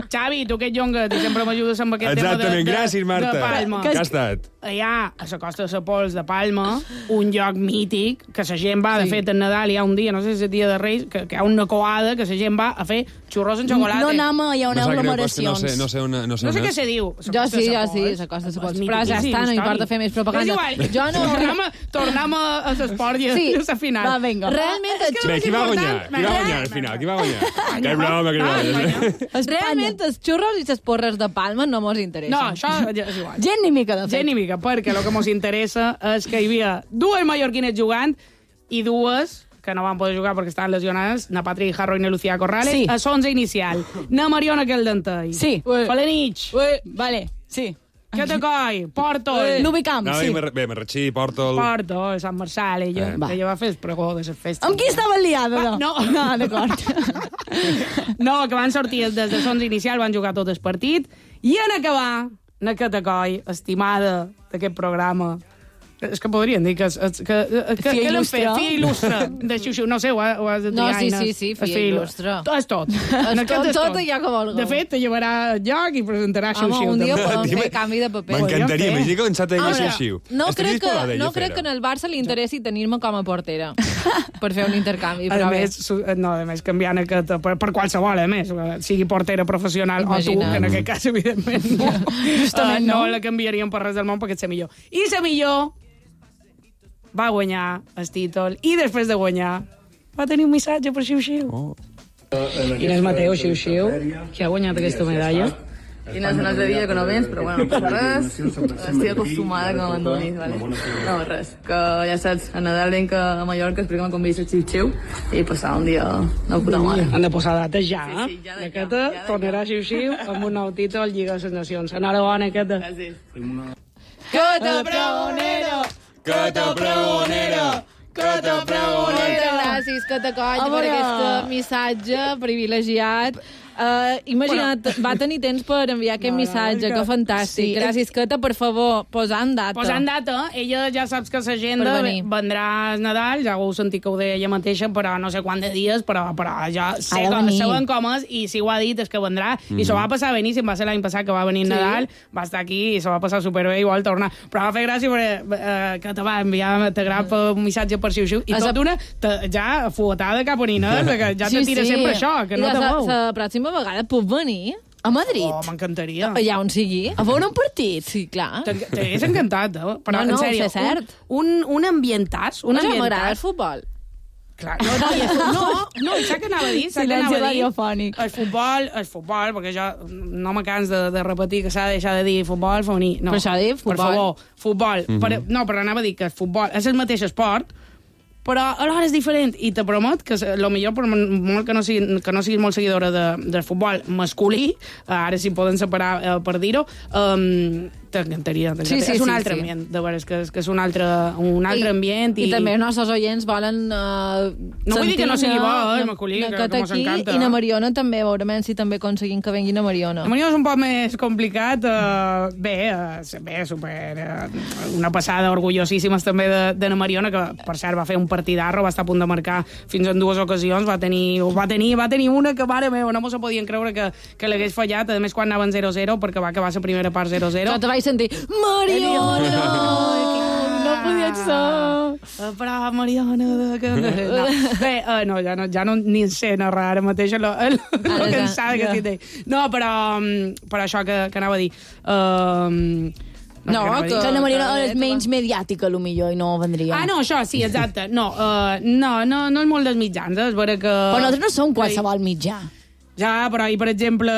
Xavi, tu que ets jonga, tu sempre m'ajudes amb aquest tema Exactament, gràcies, Marta. De Palma. Que ha estat? Hi ha, a la Costa de Pols de Palma, un lloc mític, que la gent va, de fet, en Nadal hi ha un dia, no sé si és el dia de Reis, que hi ha una coada que la gent va a fer xurros en xocolata. No anem, hi ha unes aglomeracions. No sé què se diu. Jo sí, la Costa de Pols. Però ja està, no importa fer més propaganda. Jo no... Tornem a l'esport i a la final. Va, vinga. Realment... Qui va guanyar al final? Qui va guanyar? Que broma. Realment els xurros i les porres de Palma no mos interessen. No, això és igual. Gent ni mica, de fet. Gent ni mica, perquè el que mos interessa és que hi havia dues mallorquines jugant i dues que no van poder jugar perquè estaven lesionades, na Patrick Jarro i na Lucía Corrales, a l'11 inicial. Na Mariona Queldentei. Sí. Falenich. Vale, sí. Que te coi? Portol. L'Ubicamp, sí. Bé, Marratxí, Portol... Portol, Sant Marçal, ella va fer el pregó de les festes. Amb qui estava liada, no? No, d'acord. No, que van sortir des de l'11 inicial, van jugar tot el partit, i en acabar, na que te coi, estimada d'aquest programa, és que podrien dir que l'han fet fia il·lustre de xiu-xiu, no sé, ho has de dir, no, sí, fia il·lustre. És tot. Tot allò que vol. De fet, te llevarà al lloc i presentarà xiu-xiu. Home, un dia podem fer canvi de paper. M'encantaria, m'he dit que començat a dir xiu-xiu. No crec que en el Barça li interessi tenir-me com a portera per fer un intercanvi. A més, canviant aquest, per qualsevol, a més, sigui portera professional o tu, que en aquest cas, evidentment, no la canviaríem per res del món perquè és la millor. I la millor va guanyar el títol i després de guanyar va tenir un missatge per xiu-xiu. Inés Mateo, xiu-xiu, que ha guanyat aquesta medalla. Inés, no és de dia que no vens, però bueno, no passa res. Estic acostumada que m'abandonis, vale? No, res, que ja saps, a Nadal venc a Mallorca, explica com convís el xiu-xiu i passar un dia de puta mare. Han de posar dates ja, eh? Sí, aquesta tornarà xiu-xiu amb un nou títol Lliga de les Nacions. Enhorabona, aquesta. Gràcies. Cota pregonero! Cota pregonero! Cota pregonero! Gràcies, Cota Coll, per aquest missatge privilegiat. Imagina't, va tenir temps per enviar aquest missatge, que fantàstic. Gràcies, Cata, per favor, posant data. Posant data, ella ja saps que l'agenda vendrà al Nadal, ja ho heu sentit que ho deia ella mateixa, però no sé quant de dies, però ja saben com és, i si ho ha dit és que vendrà, i s'ho va passar beníssim, va ser l'any passat que va venir Nadal, va estar aquí i s'ho va passar superbé i vol tornar. Però va fer gràcia perquè que te va enviar, t'agrada un missatge per xiu-xiu, i tot una ja fuetada cap a Ninés, que ja te tira sempre això, que no te mou. La pròxima vegada puc venir a Madrid. Oh, m'encantaria. Allà on sigui. A veure un partit. Sí, clar. T'hagués encantat, però en sèrio, és cert. Un ambientàs. No, ja m'agrada el futbol. Clar, no, saps què anava a dir? Silenci radiofònic. El futbol, perquè jo no me cans de repetir que s'ha de deixar de dir futbol femení. No, per això dic futbol. Per favor, futbol. Però anava a dir que el futbol és el mateix esport, però alhora és diferent, i te promet que millor, per molt que no siguis molt seguidora del futbol masculí, ara si poden separar per dir-ho, t'encantaria. És un altre ambient, de veres, que és un altre ambient. I també els nostres oients volen no vull dir que no sigui bo, masculí, que mos encanta. I na Mariona també, veurem si també aconseguim que venguin a Mariona. A Mariona és un poc més complicat, bé, una passada orgullosíssimes també de na Mariona, que per cert va fer un partidarro, va estar a punt de marcar fins en 2 ocasions, va tenir una que, mare meva, no mos podien creure que l'hagués fallat, a més quan anaven 0-0, perquè va acabar la primera part 0-0. Jo te vaig sentir, Mariona! no podia ser. Però, Mariona... Bé, ja no ni sé narrar ara mateix lo cansada que estic. No, però això que anava a dir... que Ana Mariona és menys mediàtica, potser, i no vendria. No, això, sí, exacte. No és molt dels mitjans, és vera que... Però nosaltres no som qualsevol mitjà. Ja, però, per exemple,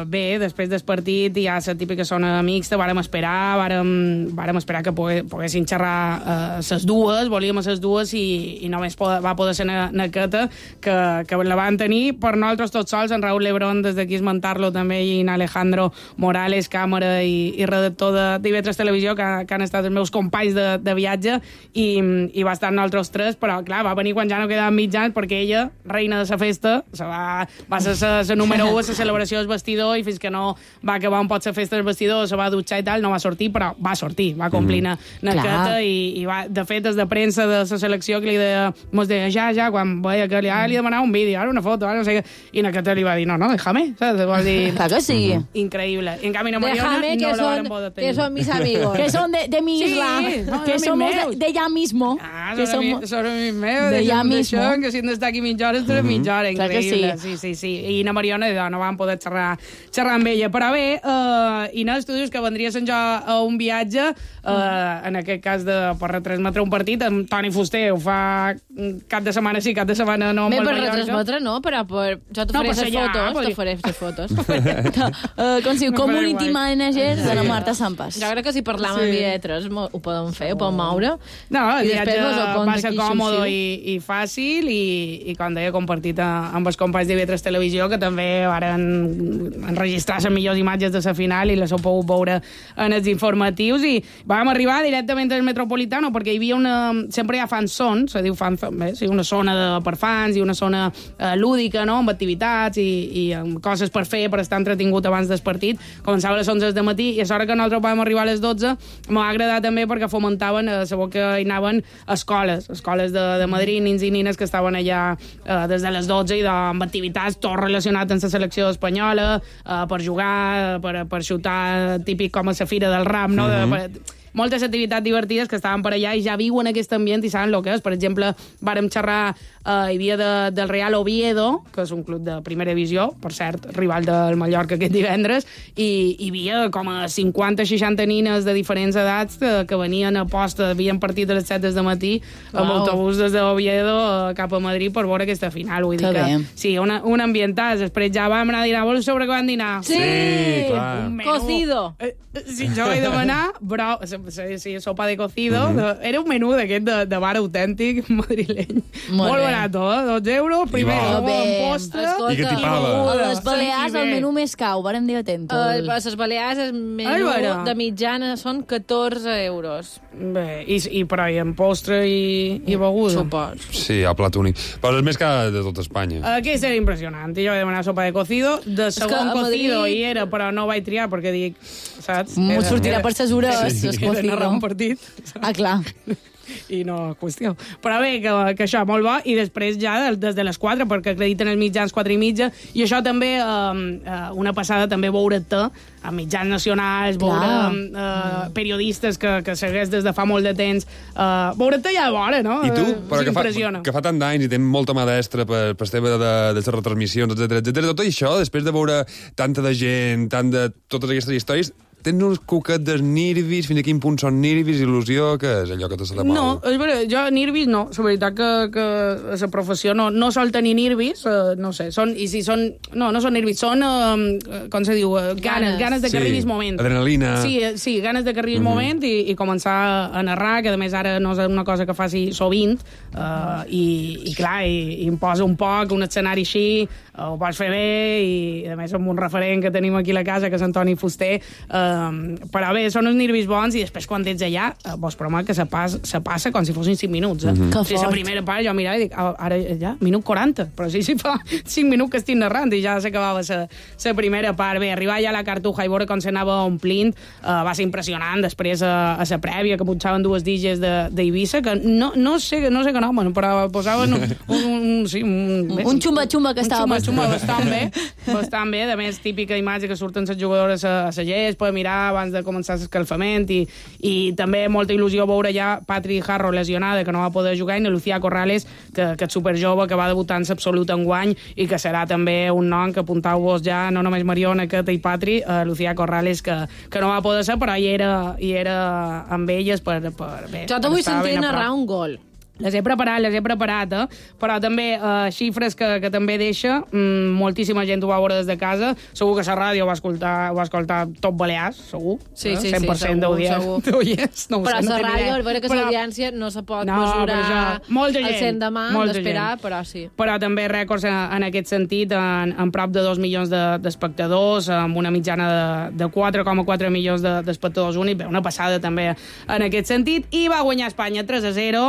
bé, després del partit hi ha la típica zona mixta, vàrem esperar que poguessin xerrar ses dues, volíem ses dues, i només va poder ser Naqueta, que la van tenir per nosaltres tots sols, en Raúl Lebrón, des d'aquí esmentar-lo també, i en Alejandro Morales, càmera i redactor de TV3 Televisió, que han estat els meus companys de viatge, i va estar nosaltres tres, però, clar, va venir quan ja no quedaven mitjans, perquè ella, reina de la festa, va ser la número 1 a la celebració del vestidor, i fins que no va acabar un pot la festa del vestidor, se va dutxar i tal, no va sortir, però va sortir, va complir Naqueta, i va, de fet, des de premsa de la selecció que li deia, mos deia, ja, quan veia que li demanava un vídeo, ara una foto, ara no sé què, i Naqueta li va dir, no, déjame, saps? Vol dir, clar que sí. Increïble. En canvi, Mariona no la van poder tenir. Que son mis amigos. Que son de mi isla. Que somos de ya mismo. Son mis meus. De ya mismo. Que si han d'estar aquí mitja hora, estaré mitja hora. Increïble. Sí. I na Mariona no van poder xerrar amb ella. Però bé, Inés, tu dius que vendries a un viatge, en aquest cas per retransmetre un partit, amb Toni Fuster ho fa cap de setmana sí, cap de setmana no. Bé, per retransmetre no, però jo t'oferé les fotos. Com si community manager de la Marta Sampas. Jo crec que si parlam amb IE3 ho podem fer, ho podem moure. No, el viatge va ser còmode i fàcil, i com deia, compartit amb els companys de IE3 Televisió, que també varen enregistrar les millors imatges de la final i les heu pogut veure en els informatius, i vam arribar directament al Metropolitano, perquè hi havia sempre hi ha fansons, se diu una zona per fans i una zona lúdica, no?, amb activitats i amb coses per fer, per estar entretingut abans del partit. Començava a les 11 del matí, i a l'hora que nosaltres vam arribar a les 12 m'ha agradat també perquè fomentaven, sabeu que hi anaven escoles de Madrid, nins i nines que estaven allà des de les 12 i amb activitats tot relacionat amb la selecció espanyola, per jugar, per xutar, típic com a la Fira del Rap, no?, moltes activitats divertides que estaven per allà i ja viuen aquest ambient i saben el que és. Per exemple, vàrem xerrar, hi havia del Real Oviedo, que és un club de primera divisió, per cert, rival del Mallorca aquest divendres, i hi havia com a 50-60 nines de diferents edats que venien a posta, havien partit a les 7 del matí amb autobús des d'Oviedo cap a Madrid per veure aquesta final. Vull dir que sí, un ambientàs. Després ja vam anar a dinar. Vols saber què vam dinar? Sí, clar. Cocido. Sí, jo vaig demanar, però sí, sopa de cocido. Era un menú d'aquest de bar autèntic madrileny. Molt barat, 2 euros, primer un postre. I què tipava? A les Balears el menú més cau, vàrem dir atentos. A les Balears el menú de mitjana són 14 euros. Bé, però hi ha postre i beguda. Supos. Sí, a plat únic. Però és més car de tot Espanya. Aquí serà impressionant. Jo vaig demanar sopa de cocido, de segon cocido hi era, però no vaig triar perquè dic, saps? M'ho sortirà per ses hores, el cocido. Un partit. Clar. I no qüestió. Però bé, que això, molt bo, i després ja des de les 4, perquè acrediten els mitjans 4:30, i això també, una passada també veure-te a mitjans nacionals, veure periodistes que segueix des de fa molt de temps, veure-te ja a vora, no? I tu, però que fa tant d'anys i tens molta mà d'extra per tema de les retransmissions, etc. Tot això, després de veure tanta de gent, tant de totes aquestes històries, tens uns cuquet de nervis, fins a quin punt són nervis, il·lusió, que és allò que te se la pau? No, és veritat, jo nervis no. La veritat que la professió no sol tenir nervis, no sé, no són nervis, són, com se diu, ganes de que arribis el moment. Adrenalina. Sí, ganes de que arribis el moment i començar a narrar, que a més ara no és una cosa que faci sovint, i clar, i em posa un poc, un escenari així, ho pots fer bé, i a més amb un referent que tenim aquí a la casa, que és Antoni Fuster, però bé, són uns nervis bons, i després quan ets allà, vos promet que se passa com si fossin 5 minuts. La primera part jo mirava i dic, ara ja, minut 40, però sí, fa 5 minuts que estic narrant i ja s'acabava la primera part. Bé, arribar ja a la Cartuja i veure com s'anava omplint va ser impressionant. Després a la prèvia, que punxaven 2 DJs d'Eivissa, que no sé què nomen, però posaven un xumba-xumba que estava per suma bastant bé. A més, típica imatge que surten les jugadores a la gespa, mirar abans de començar l'escalfament, i també molta il·lusió veure ja Patri Jarro lesionada, que no va poder jugar, i Lucía Corrales, que és superjove, que va debutar en l'absolut enguany, i que serà també un nom que apuntau-vos ja, no només Mariona, Queta i Patri, Lucía Corrales, que no va poder ser, però hi era amb elles per bé. Jo te vull sentir narrar un gol. Les he preparat, però també xifres que també deixa, moltíssima gent ho va veure des de casa, segur que la ràdio va escoltar tot Balears, segur, sí, 100% d'audients. No però la ràdio, al veure que l'audiència no se pot mesurar al 100 de mà, d'esperar, però sí. Però també rècords en aquest sentit, en prop de 2 milions d'espectadors, amb una mitjana de 4,4 milions d'espectadors únics, una passada també en aquest sentit, i va guanyar Espanya 3-0,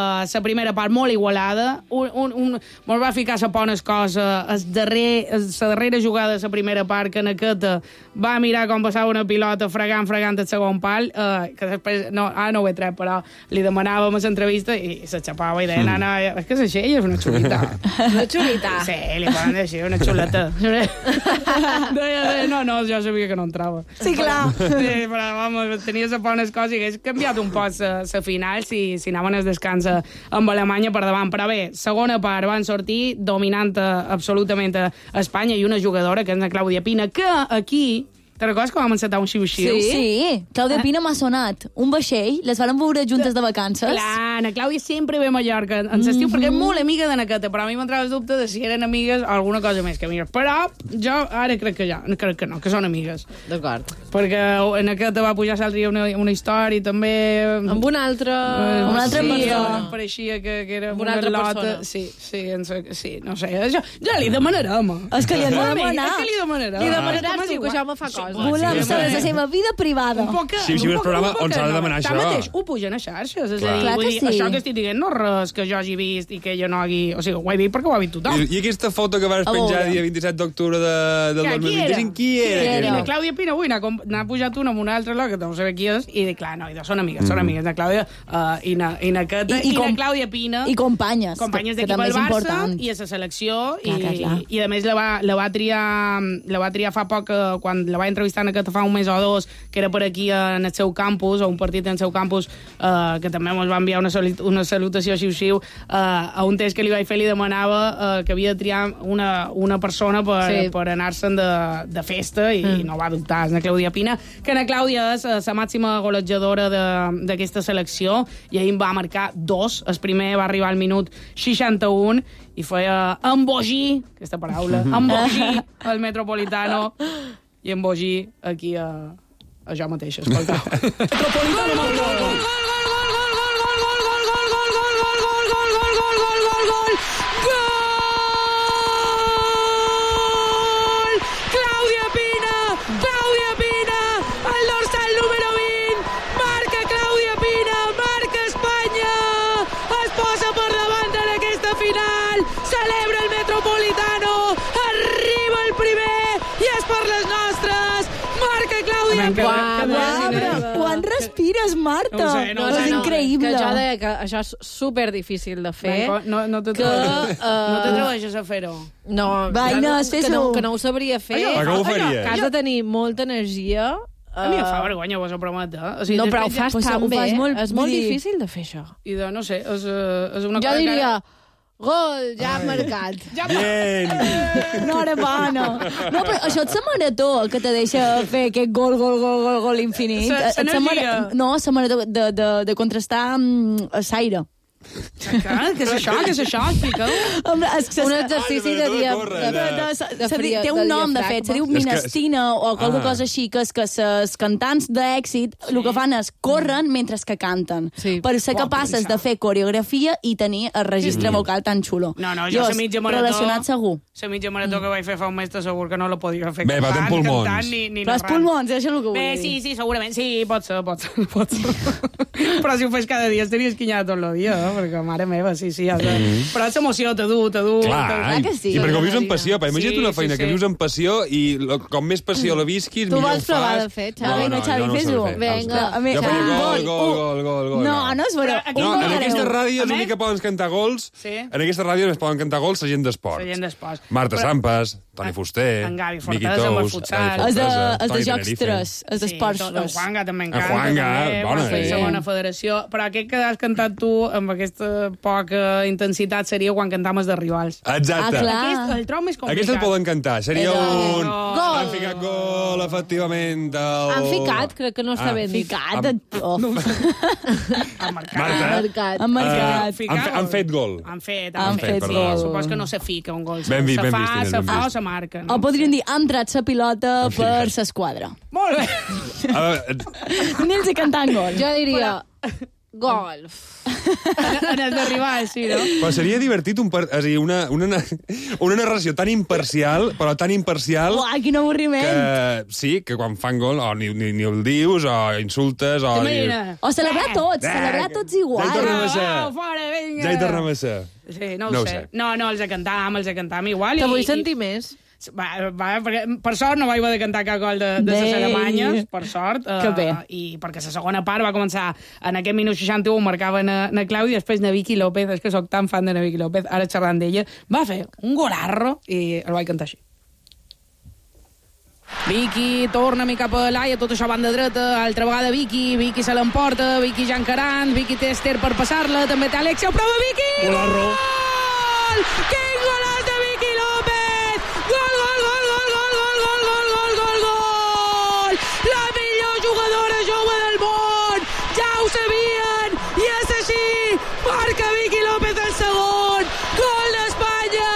la primera part molt igualada, molt va ficar la pones cosa, la darrera jugada de la primera part, que Naqueta va mirar com passava una pilota fregant el segon pal, que després, no ho he tret, però li demanàvem a l'entrevista i se xapava i deia, no, és que és una xulita. Una xulita? Sí, li poden dir, una xuleta. No, jo sabia que no entrava. Sí, clar. Sí, però, vamos, tenia la pones cosa i hagués canviat un poc la final si anaven al descans amb Alemanya per davant. Però bé, segona part, van sortir dominant absolutament a Espanya, i una jugadora, que és la Clàudia Pina, que aquí... Te'n recordes que vam encetar un xiu-xiu? Sí, Clàudia Pina m'ha sonat. Un vaixell, les van veure juntes de vacances. Clar, na Clàudia sempre ve a Mallorca en l'estiu, perquè és molt amiga de Naqueta, però a mi m'entrava el dubte de si eren amigues o alguna cosa més que amigues. Però jo ara crec que no, que són amigues. D'acord. Perquè Naqueta va pujar l'altre dia una història, també... Amb una altra... Amb una altra persona. Pareixia que era una altra lota. Sí, no sé. Ja li demanarem. És que li hem de demanar. És que li demanarem. Li demanaràs tu, que això me fa cosa. Volem saber la seva vida privada. Sí, un programa on s'ha de demanar això. Tanmateix, ho pugen a xarxes. És a dir, Clar que sí. això que estic dient no és res que jo hagi vist i que jo no hagi... O sigui, ho he dit perquè ho ha vist tothom. I aquesta foto que vas penjar el dia 27 d'octubre del 2025, qui era? La Clàudia Pina avui n'ha pujat una amb una altra loca, que no sé qui és, i dic, clar, no, són amigues, la Clàudia i Naqueta, i la Clàudia Pina... I companyes d'equip al Barça, i a la selecció, i a més la va triar fa poc, quan la va entrevistar Naqueta fa un mes o dos, que era per aquí en el seu campus, o un partit en el seu campus, que també ens va enviar una salutació xiu-xiu, a un test que li vaig fer li demanava que havia de triar una persona per anar-se'n de festa, i no va dubtar, és la Clàudia Pina, que la Clàudia és la màxima golejadora d'aquesta selecció, i ahir en va marcar 2, el primer va arribar al minut 61, i feia embogir, aquesta paraula, embogir al Metropolitano, i embogir aquí a jo mateixa, escoltau. Metropolitano, celebra el Metropolitano, arriba el primer i és per les nostres, marca Clàudia Pina. Quan respires, Marta? No és increïble. Que jo deia que això és superdifícil de fer. No t'atreveixes a fer-ho. No, que no ho sabria fer. Com ho faries? Que has de tenir molta energia. A mi em fa vergonya, vos ho prometo. No, però ho fas tan bé. És molt difícil de fer això. I de, no sé, és una cosa... Jo diria... Gol, ja ha marcat. Bien. Enhorabona. No, però això és la marató que te deixa fer aquest gol infinit. No, la marató de contrastar l'aire. Què és això? Explica-ho. Un exercici de té un nom, de fet, se diu minestina o qualque cosa així, que és que els cantants d'èxit el que fan és corren mentre que canten, per ser capaces de fer coreografia i tenir el registre vocal tan xulo. No, jo la mitja marató... Relacionat segur. La mitja marató que vaig fer fa un mes segur que no la podia fer cantant. Bé, va tenir pulmons. Però els pulmons, això és el que vull dir. Sí, segurament. Sí, pot ser. Però si ho fes cada dia estaries quinyat tot el dia. perquè, mare meva, sí, però és emoció, te du. Clar, i perquè ho vius amb passió, imagina't una feina que vius amb passió i com més passió la visquis, millor ho fas. Tu vols provar de fer, Xavi? Vinga, Xavi, fes-ho. Vinga. Jo faria gol. No és vera. En aquesta ràdio és l'únic que poden cantar gols. En aquesta ràdio es poden cantar gols la gent d'esport. Marta Sampas, Toni Fuster, Miqui Tous, els de Jocs 3, els d'Esports 3. En Juanga també encanta. En Juanga, bona. Segona federació. Però aquest que has cantat tu amb aquesta poca intensitat seria quan cantaves de rivals. Exacte. El trobo més complicat. Aquest el poden cantar. Seria un... Han ficat gol, efectivament. Han ficat? Crec que no està ben dit. Han marcat. Han fet gol. Han fet gol. Supos que no se fica un gol. Ben vist. Se fa o se marca. O podríem dir, ha entrat la pilota per l'esquadra. Molt bé. Anem-nos cantant gol. Jo diria... Golf. En el d'arribar, sí, no? Però seria divertit una narració tan imparcial, però tan imparcial... Uah, quin avorriment! Que quan fan gol ni el dius, o insultes, o... O celebrar tots igual. Ja hi tornem a ser. Sí, no ho sé. No, els cantàvem igual. Te vull sentir més. Perquè, per sort no vaig haver de cantar cap gol de les Alemanyes, per sort. Que bé. I perquè la segona part va començar en aquest minut 61, marcava na Clàudia, després na Vicky López, és que soc tan fan de na Vicky López, ara xerrant d'ella, va fer un golarro i el vaig cantar així. Vicky torna cap a Laia, tot això banda dreta, altra vegada Vicky se l'emporta, Vicky ja encarant, Vicky té Esther per passar-la, també té Alexia, prova Vicky! Golarro! Quin golaç de Vicky López! Gol! La millor jugadora jove del món! Ja ho sabien! I és així! Marca Vicky López el segon! Gol d'Espanya!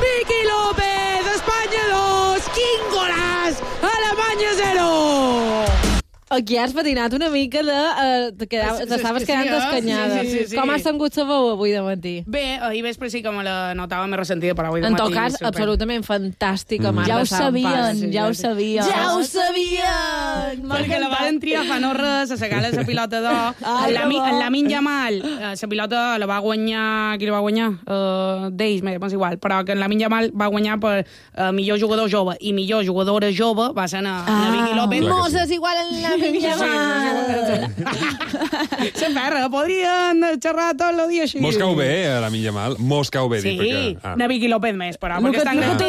Vicky López! Espanya 2! Quin golaç! Alemanya 0! Aquí has patinat una mica t'estaves quedant escanyada. Sí. Com has tingut la veu avui de matí? Bé, ahir vespre sí que me la notava més ressentida, però avui de matí... En tot cas, absolutament fantàstica, Marta Sampas. Ja ho sabien! Perquè la van triar fa no res, a sacar la pilota d'or. En Lamine Yamal, la pilota la va guanyar... Qui la va guanyar? D'ells, m'és igual. Però que en Lamine Yamal va guanyar per millor jugador jove i millor jugadora jove va ser na Vicky López. Moses igual en la Se perra, podrien xerrar tot el dia així. Mos cau bé, la Lamine Yamal. Mos cau bé, dic. Sí, na Vicky López més, però perquè està de 9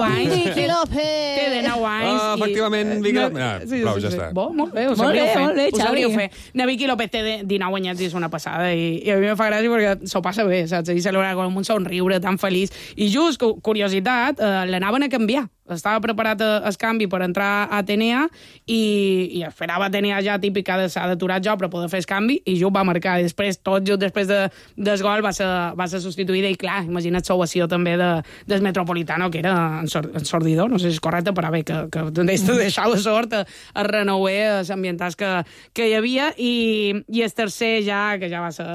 anys. Vicky López! Té de 9 anys. Efectivament, Vicky López. Prou, ja està. Molt bé, ho sabríeu fer. Na Vicky López té de 9 anyats i és una passada. I a mi me fa gràcia perquè s'ho passa bé, saps? I celebra com un somriure tan feliç. I just, curiositat, l'anaven a canviar. Estava preparat el canvi per entrar a Atenea i esperava Atenea ja típica de s'ha d'aturar jo per poder fer el canvi i just va marcar. I després, tot just després del gol va ser substituïda i clar, imagina't l'ovació també del Metropolitano, que era ensordidor, no sé si és correcte, però bé, que deixava sort a renouer els ambientats que hi havia i el tercer ja, que ja va ser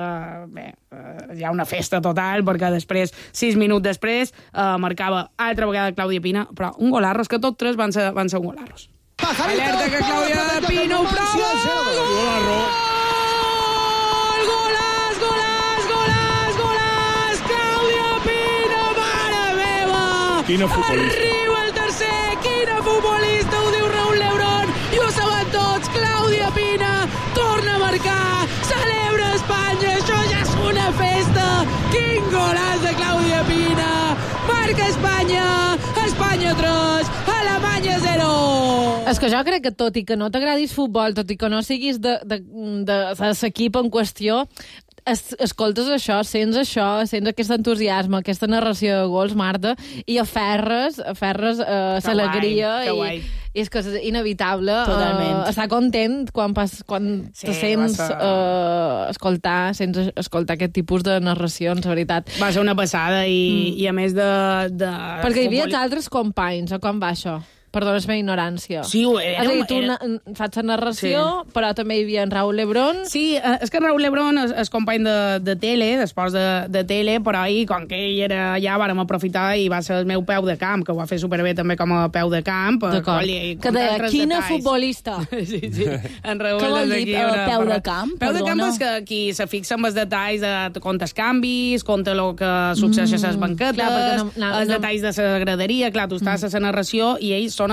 bé, ja una festa total, perquè després, 6 minuts després, marcava altra vegada Clàudia Pina, però un golarros, que tots tres van ser un golarros. Alerta que Clàudia Pina ho prova! Golarro! Golàs! Clàudia Pina, mare meva! Quina futbolista! Arriba el tercer, quina futbolista, ho diu Raúl Lebrón, i ho saben tots, Clàudia Pina torna a marcar, celebra Espanya, això ja és una festa! Quin golaç de Clàudia Pina! Marca Espanya 3, Alemanya 0. És que jo crec que tot i que no t'agradis futbol, tot i que no siguis de l'equip en qüestió, escoltes això, sents aquest entusiasme, aquesta narració de gols, Marta, i aferres l'alegria i és que és inevitable estar content quan te sents escoltar aquest tipus de narracions, la veritat. Va ser una passada i a més de perquè hi havia altres companys, o com va això? Perdona la meva ignorància. Sí, ho era. És a dir, tu fas la narració, però també hi havia en Raúl Lebrón. Sí, és que Raúl Lebrón és company de tele, d'esports de tele, però ahir, com que ell era allà, vàrem aprofitar i va ser el meu peu de camp, que ho va fer superbé també com a peu de camp. D'acord. Que deia, quina futbolista. Sí. En Raúl, què vol dir peu de camp? Peu de camp és que qui se fixa en els detalls de comptes canvis, compte el que succeeix a les banquetes, els detalls de la graderia, clar, tu estàs a la narració i ells són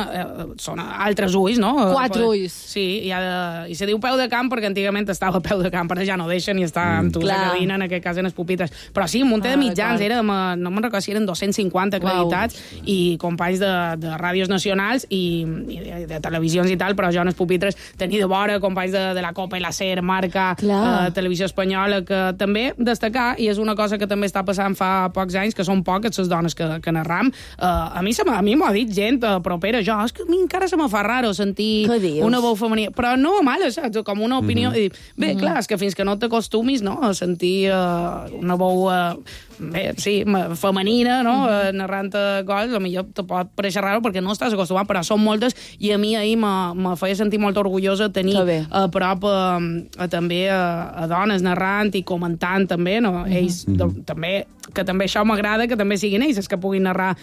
altres ulls, no? 4 ulls. Sí, i se diu peu de camp perquè antigament estava peu de camp, però ja no deixen i està amb tu la cabina, en aquest cas en els pupitres. Però sí, un munt de mitjans, no me'n recordo si eren 250 acreditats i companys de ràdios nacionals i de televisions i tal, però jo en els pupitres tenia de vora companys de la Copa i la SER, Marca, Televisió Espanyola, que també destacar, i és una cosa que també està passant fa pocs anys, que són poques les dones que narram. A mi m'ho ha dit gent propera, és que a mi encara se me fa raro sentir una veu femenina, però no mal, saps? Com una opinió. Bé, clar, és que fins que no t'acostumis, no?, a sentir una veu femenina, no?, narrant gols, potser te pot pareixer raro perquè no estàs acostumat, però són moltes, i a mi ahir me feia sentir molt orgullosa tenir a prop també a dones narrant i comentant també, no? Ells també, que també això m'agrada, que també siguin ells que puguin narrar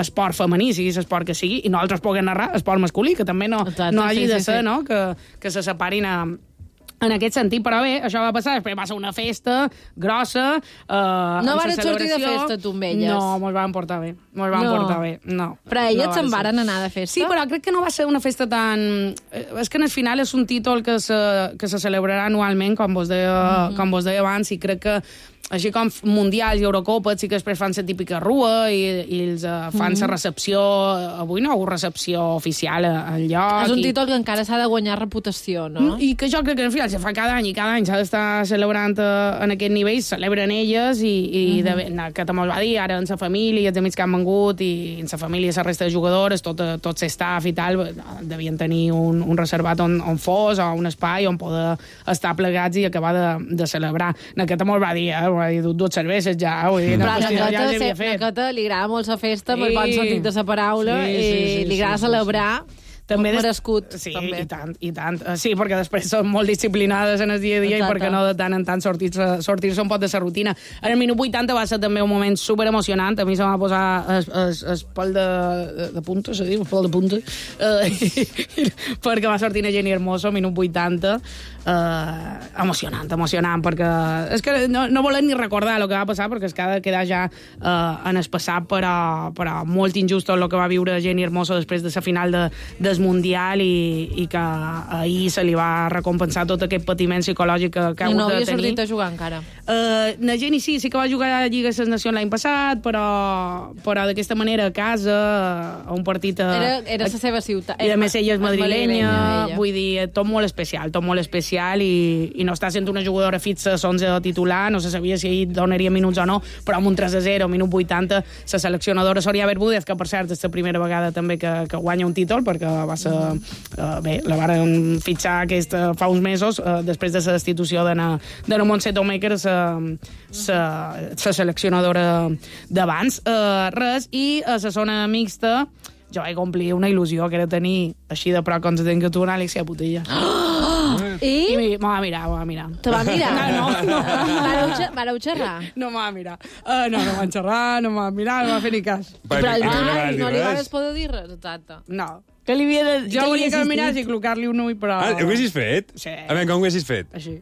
esport femení, sigui l'esport que sigui, i nosaltres puguem narrar esport masculí, que també no hagi de ser, no?, que se separin en aquest sentit, però bé, això va passar, després va ser una festa grossa. No van sortir de festa, tu, amb elles? No, mos van portar bé. No. Però elles se'n varen anar de festa? Sí, però crec que no va ser una festa tan... És que en el final és un títol que se celebrarà anualment, com vos deia abans, i crec que així com mundials i Eurocopes, sí que després fan la típica rua i els fan la recepció. Avui no hi ha hagut recepció oficial al lloc. És un títol que encara s'ha de guanyar reputació, no? I que jo crec que al final se fa cada any i cada any s'ha d'estar celebrant en aquest nivell, celebren elles i que també va dir, ara en la família, els amics que han vengut i en la família la resta de jugadores, tot l'estaf i tal, devien tenir un reservat on fos o un espai on poder estar plegats i acabar de celebrar. En aquest també va dir, va dir, dues cerveses ja, vull dir, però a Cota li agrada molt la festa, amb el bon sentit de la paraula, i li agrada celebrar. També merescut. Sí, també. I tant. Sí, perquè després són molt disciplinades en el dia a dia i perquè no de tant en tant sortir-se un pot de la rutina. En el minut 80 va ser també un moment super emocionant. A mi se m'ha posat el pèl de punta, se diu, el pèl de punta, perquè va sortir una Jenny Hermoso, minut 80. Emocionant, perquè és que no volem ni recordar el que va passar, perquè és que ha de quedar ja en el passat, però molt injust el que va viure Jenny Hermoso després de la final del Mundial i que ahir se li va recompensar tot aquest patiment psicològic que ha hagut de tenir. I no havia sortit a jugar encara. La Jenny sí que va jugar a la Lliga de les Nacions l'any passat, però d'aquesta manera a casa, a un partit... Era la seva ciutat. I a més ella és madrilenya, vull dir, tot molt especial i no està sent una jugadora fixa, 11 titular, no se sabia si ahir donaria minuts o no, però amb un 3-0, minut 80, la seleccionadora Soria Bermúdez, que per cert és la primera vegada també que guanya un títol, perquè va ser... Bé, la varen fitxar fa uns mesos, després de la destitució de Montse Tomàquer, la seleccionadora d'abans. Res, i a la zona mixta jo vaig complir una il·lusió, que era tenir així de prop com se ten que tu, una Alexia Putella. I me va mirar. Te va mirar? No. Vareu xerrar? No me va mirar. No van xerrar, no me va mirar, no va fer ni cas. Però no li vas poder dir res, exacte. No. Jo volia que miràs i col·locar-li un ull, però... Ho haguessis fet? Sí. A veure, com ho haguessis fet? Així.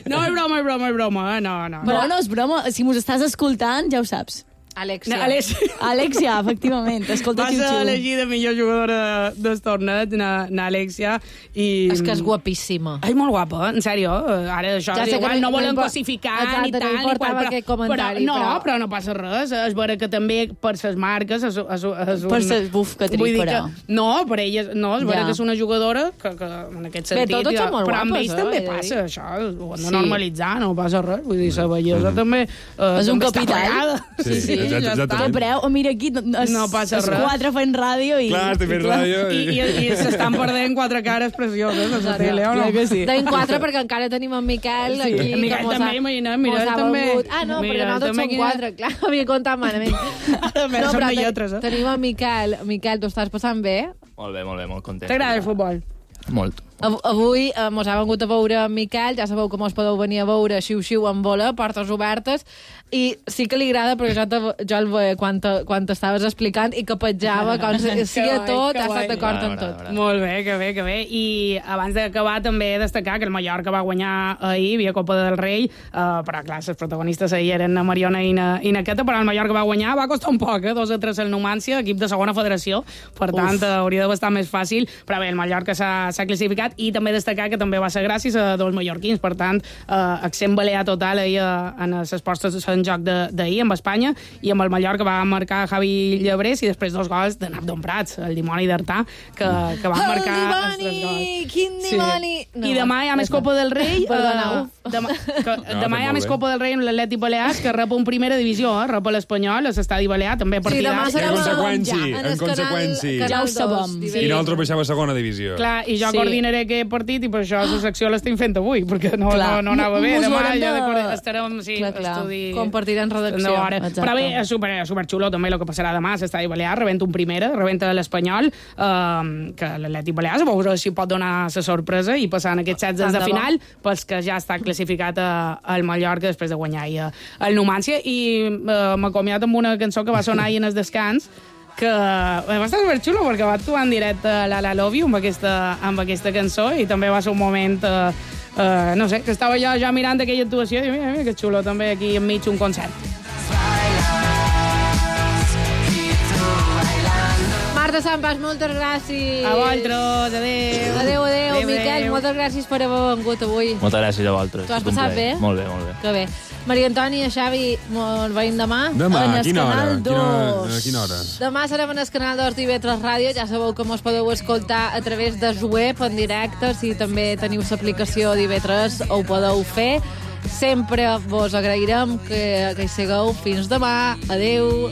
No, és broma, no. Però no és broma, si mos estàs escoltant, ja ho saps. Alexia, efectivament. Escolta, va ser elegida millor jugadora del torneig, na Alexia. És que és guapíssima. Ai, molt guapa, en sèrio. Ara això igual no volen cosificar ni tal. No importava aquest comentari. Però no passa res. És vera que també per ses marques és un... Per ses buf que tric, però... No, per elles no. És vera que és una jugadora que en aquest sentit... Bé, totes són molt guapes. Però amb ells també passa això. Ho han de normalitzar, no passa res. Vull dir, la bellesa també... És un capital. Sí. Què preu? Mira aquí, no passa res. 4 fent ràdio i... Clar, estic fent ràdio. I s'estan perdent 4 cares precioses a la tele, o no? Tenim 4 perquè encara tenim en Miquel aquí. En Miquel també, imagina't, mira, també. Ah, no, perquè nosaltres som 4, clar, havia comptat malament. No, però lletres, tenim en Miquel. Miquel, t'ho estàs passant bé? Molt bé, molt content. T'agrada el futbol? Molt. Avui mos ha vengut a veure en Miquel, ja sabeu que mos podeu venir a veure xiu-xiu en bola, portes obertes, i sí que li agrada perquè jo el veia quan t'estaves explicant i que petjava, com si a tot, ha estat d'acord en tot. Molt bé, que bé. I abans d'acabar també destacar que el Mallorca va guanyar ahir, via Copa del Rei, però clar, les protagonistes ahir eren na Mariona i na Queta, però el Mallorca va guanyar, va costar un poc, 2-3 al Numància, equip de segona federació, per tant hauria de bastar més fàcil, però bé, el Mallorca s'ha classificat, i també destacar que també va ser gràcies a dos mallorquins, per tant, accent balear total ahir en les postes en joc d'ahir amb Espanya, i amb el Mallorca va marcar Javi Llebrés i després 2 gols de Nap Don Prats, el dimoni d'Artà, que va marcar els 3 gols. Quin dimoni! I demà hi ha més Copa del Rei. Demà hi ha més Copa del Rei amb l'Atlètic Balears, que rep un primera divisió, rep l'Espanyol, a l'Estadi Balear, també partidars. En conseqüència. Ja ho sabem. I nosaltres baixem a segona divisió. Clar, i jo coordinaré aquest partit, i per això la secció l'estic fent avui, perquè no anava bé. Demà ja estarem estudi... Compartirem redacció. Però bé, és superxulo també el que passarà demà a l'Estadi Balear, rebenta un primera, rebenta l'Espanyol, que l'Atlètic Balears, a veure si pot donar la sorpresa i passar en aquests 16 de final, pels que ja està classificat al Mallorca després de guanyar el Numància, i m'acomiato amb una cançó que va sonar ahir en el descans, que va estar superxulo perquè va actuar en directe la Love You amb aquesta cançó, i també va ser un moment no sé, que estava jo ja mirant aquella actuació i mira que xulo també aquí enmig un concert. Marta Sampas, moltes gràcies. A vosaltres, adéu. Adéu. Miquel, moltes gràcies per haver vengut avui. Moltes gràcies a vosaltres. T'ho has passat bé? Molt bé. Que bé. Maria Antònia, Xavi, ens veiem demà? Demà, en a quina hora? Canal 2. A quina hora? Demà serem en el canal 2 d'IV3 Ràdio. Ja sabeu que mos podeu escoltar a través de web en directe. Si també teniu l'aplicació d'IV3, ho podeu fer. Sempre vos agrairem que hi sigueu. Fins demà. Adéu.